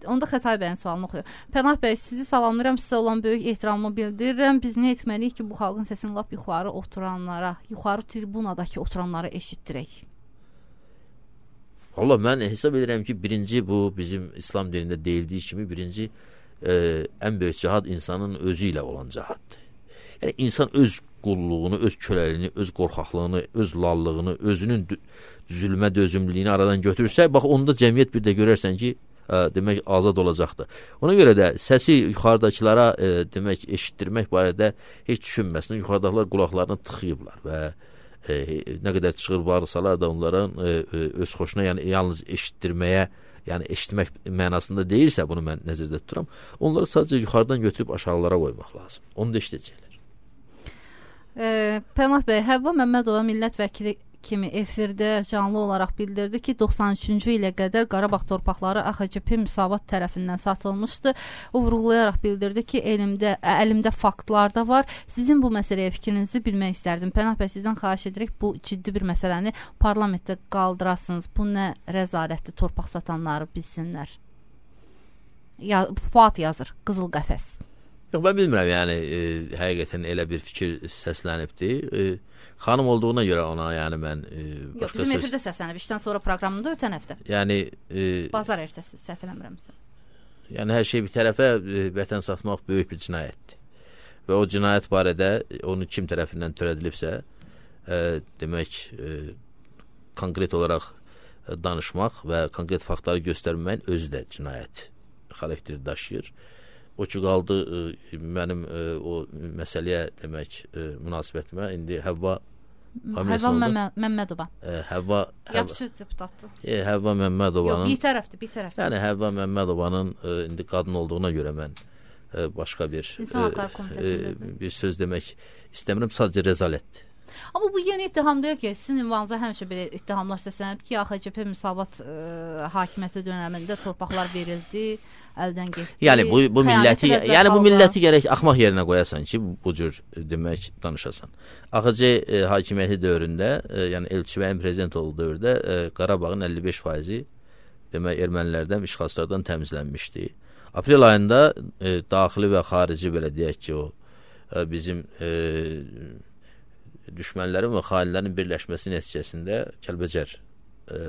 onda Xətay bəyin sualını oxuyur. Pənah bəy, sizi salamlayıram, sizə olan böyük ehtiramımı bildirirəm. Biz nə etməliyik ki, bu xalqın səsini lap yuxarı oturanlara, yuxarı tribunadakı oturanlara eşitdirək? Allah, mən hesab edirəm ki, birinci bu bizim İslam dinində deyildiyi kimi birinci e, ən böyük cihad insanın özü ilə olan cihaddır. Yəni insan öz qulluğunu, öz köləliyini, öz qorxaqlığını, öz lallığını, özünün zülmə dözümlülüyünü aradan götürürsə, bax onda cəmiyyət bir də görərsən ki, e, demək azad olacaqdır. Ona görə də səsi yuxarıdakılara e, demək eşitdirmək barədə heç düşünməsin. Yuxarıdakılar qulaqlarını tıxıyıblar və E, nə qədər çıxır bağırsalar da onların e, öz xoşuna, yəni yalnız eşitdirməyə, yəni eşitmək mənasında deyirsə, bunu mən nəzərdə tuturam, onları sadəcə yuxarıdan götürüb aşağılara qoymaq lazım. Onu da eşidəcəklər. E, Pənah bəy, Həvva Məmmədova millət vəkili kimi efirdə canlı olaraq bildirdi ki, doxsan üçüncü ilə qədər Qarabağ torpaqları A X C P Müsavat tərəfindən satılmışdı. O vurğulayaraq bildirdi ki, elimdə, əlimdə faktlar da var. Sizin bu məsələyə fikrinizi bilmək istərdim. Pənah bəy, sizdən xahiş edirik, bu ciddi bir məsələni parlamentdə qaldırasınız. Bu nə rəzalətli, torpaq satanları bilsinlər. Ya, Fuat yazır, Qızıl Qəfəs. Yox, mən bilmirəm, yəni e, həqiqətən elə bir fikir səslənibdir. E, xanım olduğuna görə ona, yəni mən e, Yox, bizim efirdə səslənib, işdən sonra proqramında ötən həftə. Yəni e, Bazar ertəsi, səhv eləmirəmsə. Yəni hər şey bir tərəfə e, vətən satmaq böyük bir cinayətdir. Və o cinayət barədə onu kim tərəfindən törədilibsə, e, demək e, konkret olaraq danışmaq və konkret faktları göstərməyin özü də cinayət xarakteri daşıyır. O ki qaldı mənim o məsələyə demək münasibətimə indi Həvva Həvva Məmmədova. Həvva Yaxşı deputatdır. Həvva Məmmədovanın. Yox, bir tərəfdir, bir tərəfdir. Yəni Həvva Məmmədovanın indi qadın olduğuna görə mən başqa bir bir söz demək istəmirəm, sadəcə rəzalətdir. Amma bu yeni ittihamdır ki, sizin ünvanınıza həmişə belə ittihamlar səslənib ki, A X C P Müsavat ə, hakimiyyəti dönəmində torpaqlar verildi, əldən getdi. Yəni bu bu milləti, yəni bu milləti gərək axmaq yerinə qoyasan ki, bu cür demək danışasan. A X C ə, hakimiyyəti dövründə, ə, yəni Elçibəyin prezident olduğu dövrdə ə, Qarabağın əlli beş faizi demək ermənilərdən, işğalçılardan təmizlənmişdi. Aprel ayında ə, daxili və xarici belə deyək ki, o ə, bizim ə, düşmənlərin və xainlərin birləşməsi nəticəsində Kəlbəcər e,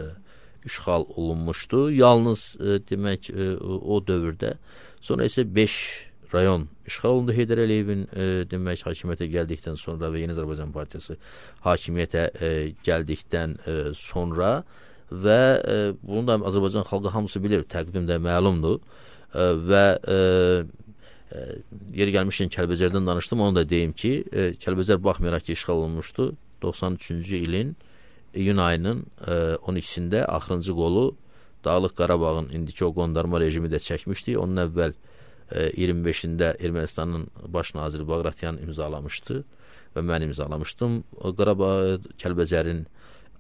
işğal olunmuşdu. Yalnız e, demək e, o dövrdə. Sonra isə beş rayon işğal olundu. Heydər Əliyevin e, demək hakimiyyətə gəldikdən sonra və Yeni Azərbaycan Partiyası hakimiyyətə e, gəldikdən e, sonra və e, bunu da Azərbaycan xalqı hamısı bilir, təqdim də məlumdur e, və e, yeri gəlmişkən Kəlbəcərdən danışdım, onu da deyim ki, e, Kəlbəcər baxmayaraq ki, işğal olunmuşdu. doxsan üçüncü ilin iyun ayının e, on ikisində axırıncı qolu Dağlıq Qarabağın indiki o qondarma rejimi də çəkmişdi. Onun əvvəl e, iyirmi beşində Ermənistanın baş naziri Bağratyan imzalamışdı və mən imzalamışdım. O Qarabağ Kəlbəcərin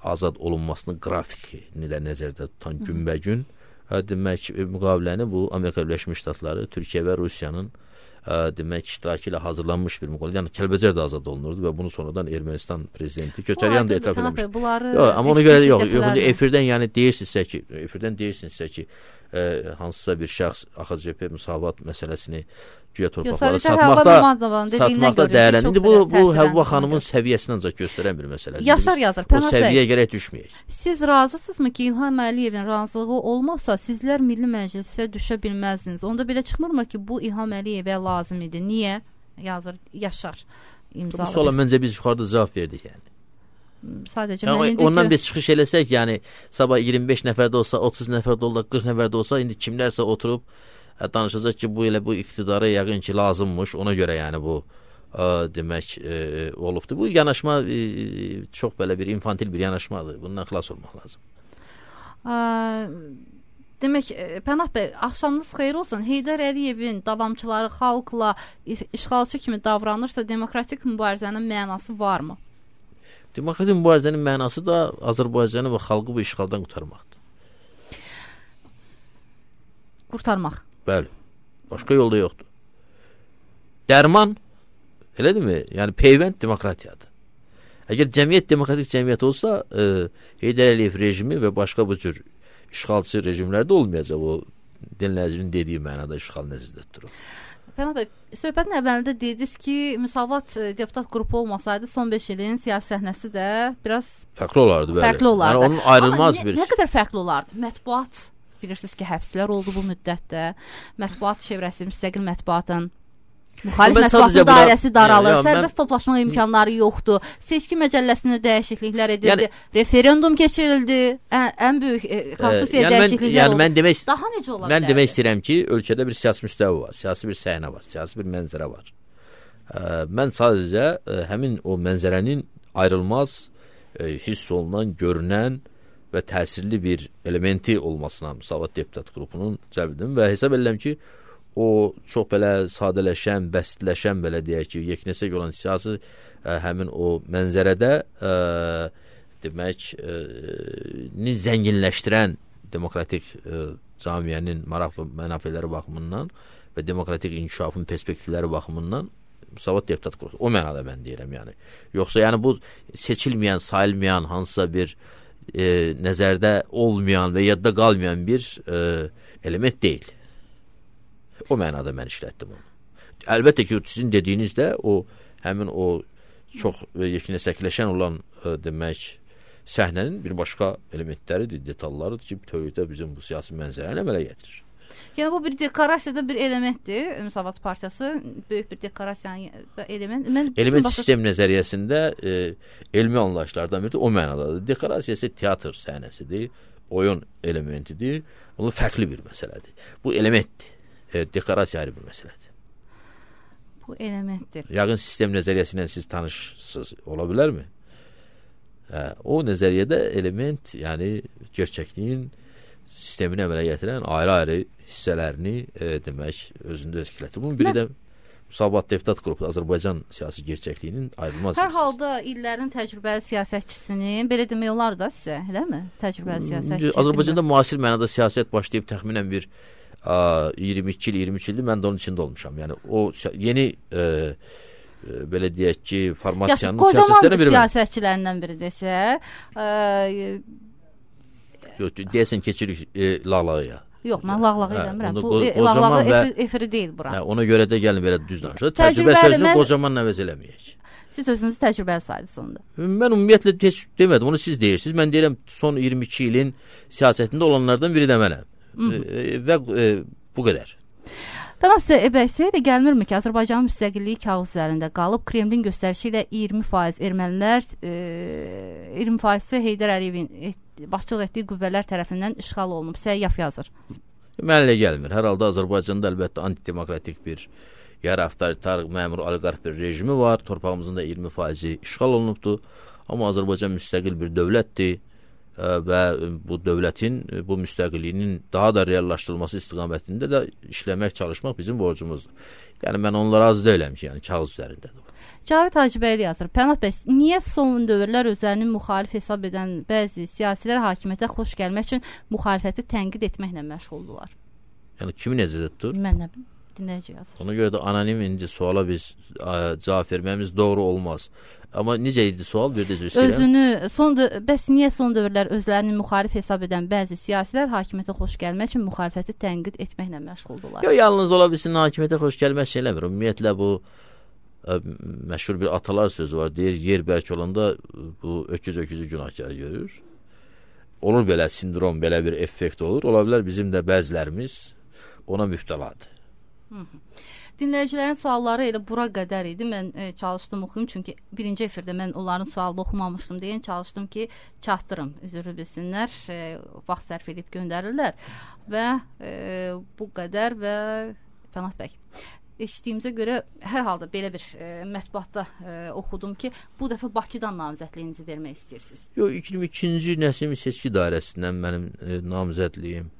azad olunmasının qrafikini də nəzərdə tutan günbəgün demək müqaviləni bu Amerika Birləşmiş Ştatları, Türkiyə və Rusiyanın ə, demək iştirakı ilə hazırlanmış bir müqavilə. Yəni Kəlbəcər də azad olunurdu və bunu sonradan Ermənistan prezidenti Köçəryan da etiraf etmişdi. Yox, amma ona görə yox, yox, efirdən yəni deyirsinizsə ki, efirdən deyirsinizsə ki, ə, hansısa bir şəxs A X C P Müsavat məsələsini güya torpaqları satmaqda satmaqda dəyərlənir. İndi bu bu Həvva xanımın səviyyəsini ancaq göstərən bir məsələdir. Yaşar yazır. O səviyyəyə gərək düşməyək. Siz razısınızmı ki, İlham Əliyevin razılığı olmasa sizlər Milli Məclisə düşə bilməzdiniz? Onda belə çıxmırmı ki, bu İlham Əliyevə lazım idi? Niyə? Yazır Yaşar imzalı. Bu suala məncə biz yuxarıda cavab verdik yəni. Sadəcə yəni, mən indi ondan biz çıxış eləsək, yəni sabah iyirmi beş nəfərdə olsa, otuz nəfərdə olsa, qırx nəfərdə olsa, indi kimlərsə oturub ə, danışacaq ki, bu elə bu iqtidara yəqin ki, lazımmış. Ona görə yəni bu ə, demək ə, olubdu. Bu yanaşma ə, çox belə bir infantil bir yanaşmadır. Bundan xilas olmaq lazım. Ə, demək, Pənah bəy, axşamınız xeyir olsun. Heydər Əliyevin davamçıları xalqla işğalçı kimi davranırsa, demokratik mübarizənin mənası varmı? Demokratik mübarizənin mənası da Azərbaycanı və xalqı bu işğaldan qurtarmaqdır. Qurtarmaq. Bəli. Başqa yolda yoxdur. Dərman, elədirmi? Yəni peyvənd demokratiyadır. Əgər cəmiyyət demokratik cəmiyyət olsa, e, Heydər Əliyev rejimi və başqa bu cür işğalçı rejimlərdə olmayacaq. O dinləyicinin dediyi mənada işğal nəzərdə tutulur. Pənah bəy, söhbətin əvvəlində dediniz ki, Müsavat deputat qrupu olmasaydı son beş ilin siyasi səhnəsi də biraz fərqli olardı. Bəli. Fərqli olardı. Yəni onun ayrılmaz Amma bir... Nə, nə qədər fərqli olardı? Mətbuat, bilirsiniz ki, həbslər oldu bu müddətdə. Mətbuat çevrəsi, müstəqil mətbuatın müxalif mətbuatın dairəsi daralır, yəni, sərbəst mən... toplaşma imkanları yoxdur. Seçki məcəlləsində dəyişikliklər edildi, yəni, referendum keçirildi, ən, ən böyük e, konstitusiya yəni dəyişikliklər yəni oldu. Mən demək, daha necə ola bilər? Mən demək istəyirəm ki, ölkədə bir siyasi müstəvi var, siyasi bir səhnə var, siyasi bir mənzərə var. Ə, mən sadəcə ə, həmin o mənzərənin ayrılmaz, ə, hiss olunan, görünən və təsirli bir elementi olmasına Müsavat deputat qrupunun cəlb edim və hesab edirəm ki, o çox belə sadələşən, bəsitləşən belə deyək ki, yeknəsək olan siyasi ə, həmin o mənzərədə ə, demək ə, ni zənginləşdirən demokratik ə, camiyyənin maraq və mənafeləri baxımından və demokratik inkişafın perspektivləri baxımından Müsavat deputat qrupu. O mənada mən deyirəm yəni. Yoxsa yəni bu seçilməyən, sayılmayan, hansısa bir e, nəzərdə olmayan və yadda qalmayan bir e, element deyil. O mənada mən işlətdim onu. Əlbəttə ki, sizin dediyiniz də o həmin o çox yeknəsəkləşən olan ə, demək səhnənin bir başqa elementləridir, detallarıdır ki, bütövlükdə bizim bu siyasi mənzərəni əmələ gətirir. Yəni bu bir dekorasiyada bir elementdir. Müsavat Partiyası böyük bir dekorasiyanın element. Mən element başa... sistem nəzəriyyəsində e, elmi anlayışlardan biri o mənadadır. Dekorasiya isə teatr səhnəsidir. oyun elementidir. O fərqli bir məsələdir. Bu elementdir. E, dekorasiya ayrı bir məsələdir. Bu elementdir. Yaqın sistem nəzəriyyəsi ilə siz tanışsınız, ola bilərmi? Hə, o nəzəriyyədə element, yəni gerçəkliyin sistemini əmələ gətirən ayrı-ayrı hissələrini e, demək özündə öskilətdir. Bunun biri də Müsavat Deputat Qrupu Azərbaycan siyasi gerçəkliyinin ayrılmaz bir Hər halda illərin təcrübəli siyasətçisinin, belə demək olar da sizə, eləmi? Təcrübəli siyasətçi. Azərbaycanda müasir mənada siyasət başlayıb təxminən bir a, iyirmi iki il, iyirmi üç ildir mən də onun içində olmuşam. Yəni o yeni e, e, belə deyək ki, formasiyanın siyasətlərindən biri. Qocaman siyasətçilərindən biri desə, e, deyəsən keçirik e, lağlağıya. Yox, mən lağlağı eləmirəm. Bu o, e, lağlağı efiri, efiri deyil bura. Hə, ona görə də gəlin belə düz danışaq. Təcrübə sözünü mən... qocaman əvəz eləməyək. Siz özünüzü təcrübəli sayırsınız onda. Mən ümumiyyətlə heç demədim, onu siz deyirsiniz. Mən deyirəm son iyirmi iki ilin siyasətində olanlardan biri də mənəm. E, və e, bu qədər. Pənah sizə Ebəysə də gəlmirmi ki, Azərbaycanın müstəqilliyi kağız üzərində qalıb, Kremlin göstərişi ilə iyirmi faiz ermənilər, e, iyirmi faiz Heydər Əliyevin başçılıq etdiyi qüvvələr tərəfindən işğal olunub. Səyyaf yazır. Mənə elə gəlmir. Hər halda Azərbaycanda əlbəttə antidemokratik bir, yarı avtoritar, məmur, oliqarx bir rejimi var. Torpağımızın da iyirmi faizi işğal olunubdur. Amma Azərbaycan müstəqil bir dövlətdir və bu dövlətin, bu müstəqilliyinin daha da reallaşdırılması istiqamətində də işləmək, çalışmaq bizim borcumuzdur. Yəni mən onlara az deyiləm ki, yəni kağız üzərindədir. Cavit Hacıbəyli yazır. Pənah bəy, niyə son dövrlər özlərini müxalif hesab edən bəzi siyasilər hakimiyyətə xoş gəlmək üçün müxalifəti tənqid etməklə məşğuldular? Yəni kimi nəzərdə tutur? Mən nə bilim, dinləyici yazır. Ona görə də anonim indi suala biz ə, cavab vermemiz doğru olmaz. Amma necə idi sual? Bir də üzr istəyirəm. Özünü, son bəs niyə son dövrlər özlərini müxalif hesab edən bəzi siyasilər hakimiyyətə xoş gəlmək üçün müxalifəti tənqid etməklə məşğuldular? Yox, yalnız ola bilsin hakimiyyətə xoş gəlmək şey eləmir. Ümumiyyətlə bu ə, məşhur bir atalar sözü var. Deyir, yer bərk olanda bu öküz öküzü günahkar görür. Olur belə sindrom, belə bir effekt olur. Ola bilər bizim də bəzilərimiz ona mübtəladır. Hı -hı. Dinləyicilərin sualları elə bura qədər idi. Mən e, çalışdım oxuyum, çünki birinci efirdə mən onların sualını oxumamışdım deyə çalışdım ki, çatdırım, üzrü bilsinlər, e, vaxt sərf edib göndərirlər və e, bu qədər və Pənah bəy, eşitdiyimizə görə hər halda belə bir e, mətbuatda e, oxudum ki, bu dəfə Bakıdan namizədliyinizi vermək istəyirsiniz. Yox, iyirmi ikinci Nəsim seçki dairəsindən mənim e, namizədliyim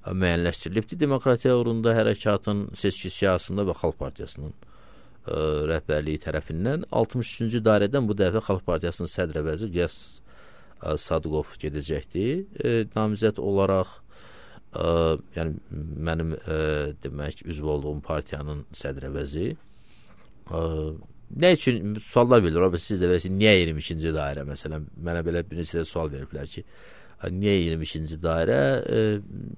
müəyyənləşdirilibdir. Demokratiya uğrunda hərəkatın seçki siyasında və Xalq Partiyasının ə, rəhbərliyi tərəfindən altmış üçüncü dairədən bu dəfə Xalq Partiyasının sədr əvəzi Qiyas ə, Sadıqov gedəcəkdir. E, namizəd olaraq ə, yəni mənim ə, demək üzv olduğum partiyanın sədr əvəzi ə, nə üçün suallar verilir? Siz də verəsiniz, niyə iyirmi ikinci dairə məsələn? Mənə belə bir neçə sual veriblər ki, niyə iyirmi ikinci dairə? E,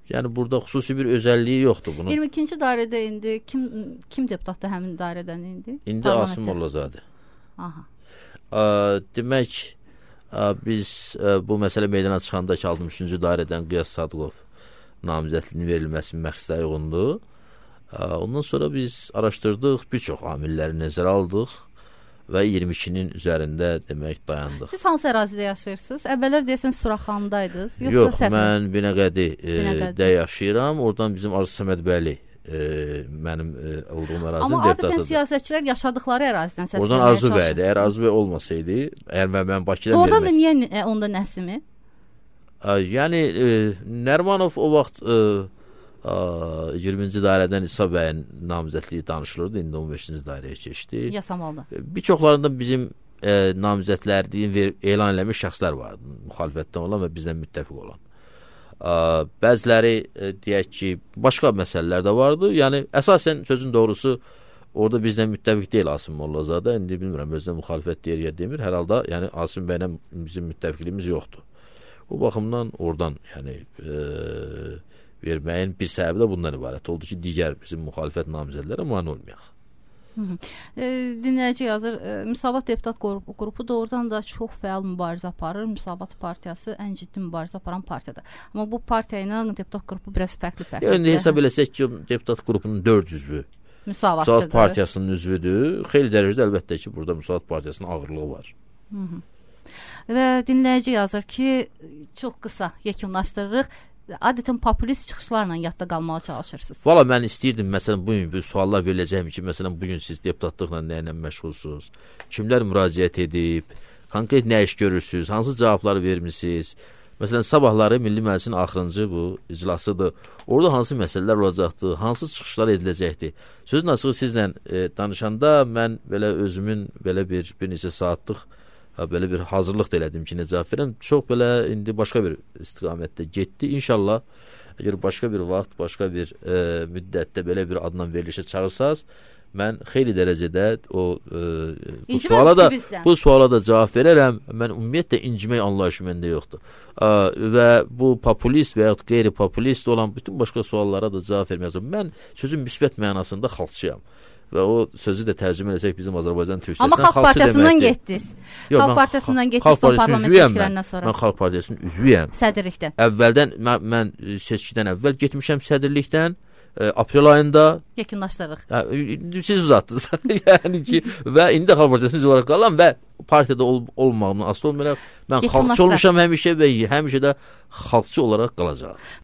yəni burada xüsusi bir özəlliyi yoxdur bunun. iyirmi ikinci dairədə indi kim kim deputatdır həmin dairədən indi? İndi Asım Mollazadə. Aha. A, demək a, biz a, bu məsələ meydana çıxanda ki, altmış üçüncü dairədən Qiyas Sadıqov namizədliyinin verilməsinin məqsədə uyğundur. A, ondan sonra biz araşdırdıq, bir çox amilləri nəzərə aldıq və iyirmi ikinin üzərində demək dayandıq. Siz hansı ərazidə yaşayırsınız? Əvvəllər deyəsən Suraxandaydınız, yoxsa Yox, Səfər? mən Binəqədi də yaşayıram. Oradan bizim Arzu Səmədbəyli e, mənim e, olduğum ərazinin deputatıdır. Amma adətən siyasətçilər yaşadıkları ərazidən səslənməyə çalışır. Oradan Arzu bəydir. Əgər Arzu bəy olmasaydı, əgər mən, mən Bakıdan vermək. Oradan da niyə e, onda Nəsimi? A, yəni e, Nərmanov o vaxt e, iyirminci dairədən İsa bəyin namizədliyi danışılırdı. İndi on beşinci dairəyə keçdi. Yasamalda. Bir çoxlarında bizim e, namizədlərliyin elan eləmiş şəxslər vardı. Müxalifətdən olan və bizdən müttəfiq olan. A, bəziləri e, deyək ki, başqa məsələlər də vardı. Yəni əsasən sözün doğrusu orada bizdən müttəfiq deyil Asım Mollazadə. İndi bilmirəm özünə müxalifət deyir ya demir. Hər halda yəni Asım bəylə bizim müttəfiqliyimiz yoxdur. Bu baxımdan oradan yəni e, verməyin bir səbəbi də bundan ibarət oldu ki, digər bizim müxalifət namizədlərə mane olmayaq. E, dinləyici yazır, e, Müsavat Deputat qrupu, qrupu doğrudan da çox fəal mübarizə aparır. Müsavat Partiyası ən ciddi mübarizə aparan partiyadır. Amma bu partiya ilə deputat qrupu biraz fərqli-fərqlidir. Yəni hesab eləsək ki, deputat qrupunun dörd üzvü Müsavatçıdır. Müsavat Partiyasının üzvüdür. Xeyli dərəcədə əlbəttə ki, burada Müsavat Partiyasının ağırlığı var. Hı -hı. Və dinləyici yazır ki, çox qısa yekunlaşdırırıq. Adətən populist çıxışlarla yadda qalmağa çalışırsınız. Valla mən istəyirdim, məsələn, bugün bu suallar verəcəyim ki, məsələn, bugün siz deputatlıqla nə ilə məşğulsunuz? Kimlər müraciət edib? Konkret nə iş görürsünüz? Hansı cavabları vermisiniz? Məsələn, sabahları Milli Məclisin axırıncı bu iclasıdır. Orada hansı məsələlər olacaqdır? Hansı çıxışlar ediləcəkdir? Sözün açığı sizlə e, danışanda mən belə özümün belə bir, bir neçə saatlıq belə bir hazırlıq da elədim ki, necə cavab verəm. Çox belə indi başqa bir istiqamətdə getdi. İnşallah, əgər başqa bir vaxt, başqa bir e, müddətdə belə bir adla verilişə çağırsaz, mən xeyli dərəcədə o e, bu İncimə suala da bizdən. bu suala da cavab verərəm. Mən ümumiyyətlə incimək anlayışı məndə yoxdur. A, və bu populist və ya qeyri-populist olan bütün başqa suallara da cavab verməyəcəm. Mən sözün müsbət mənasında xalqçıyam. Və o sözü də tərcümə etsək bizim Azərbaycan türkçəsindən Amma Xalq Partiyasından getdiniz. Xalq Partiyasından getdiniz son parlament seçkilərindən sonra. Mən Xalq Partiyasının üzvüyəm. Sədrlikdə. Əvvəldən mən, mən seçkidən əvvəl getmişəm sədrlikdən. E, aprel ayında yekunlaşdırırıq. Hə, siz uzatdınız. Yəni ki, və indi Xalq Partiyasının üzvü olaraq qalıram və partiyada ol, olmağımdan asılı olmayaraq mən xalqçı olmuşam həmişə və həmişə də xalqçı olaraq qalacağam.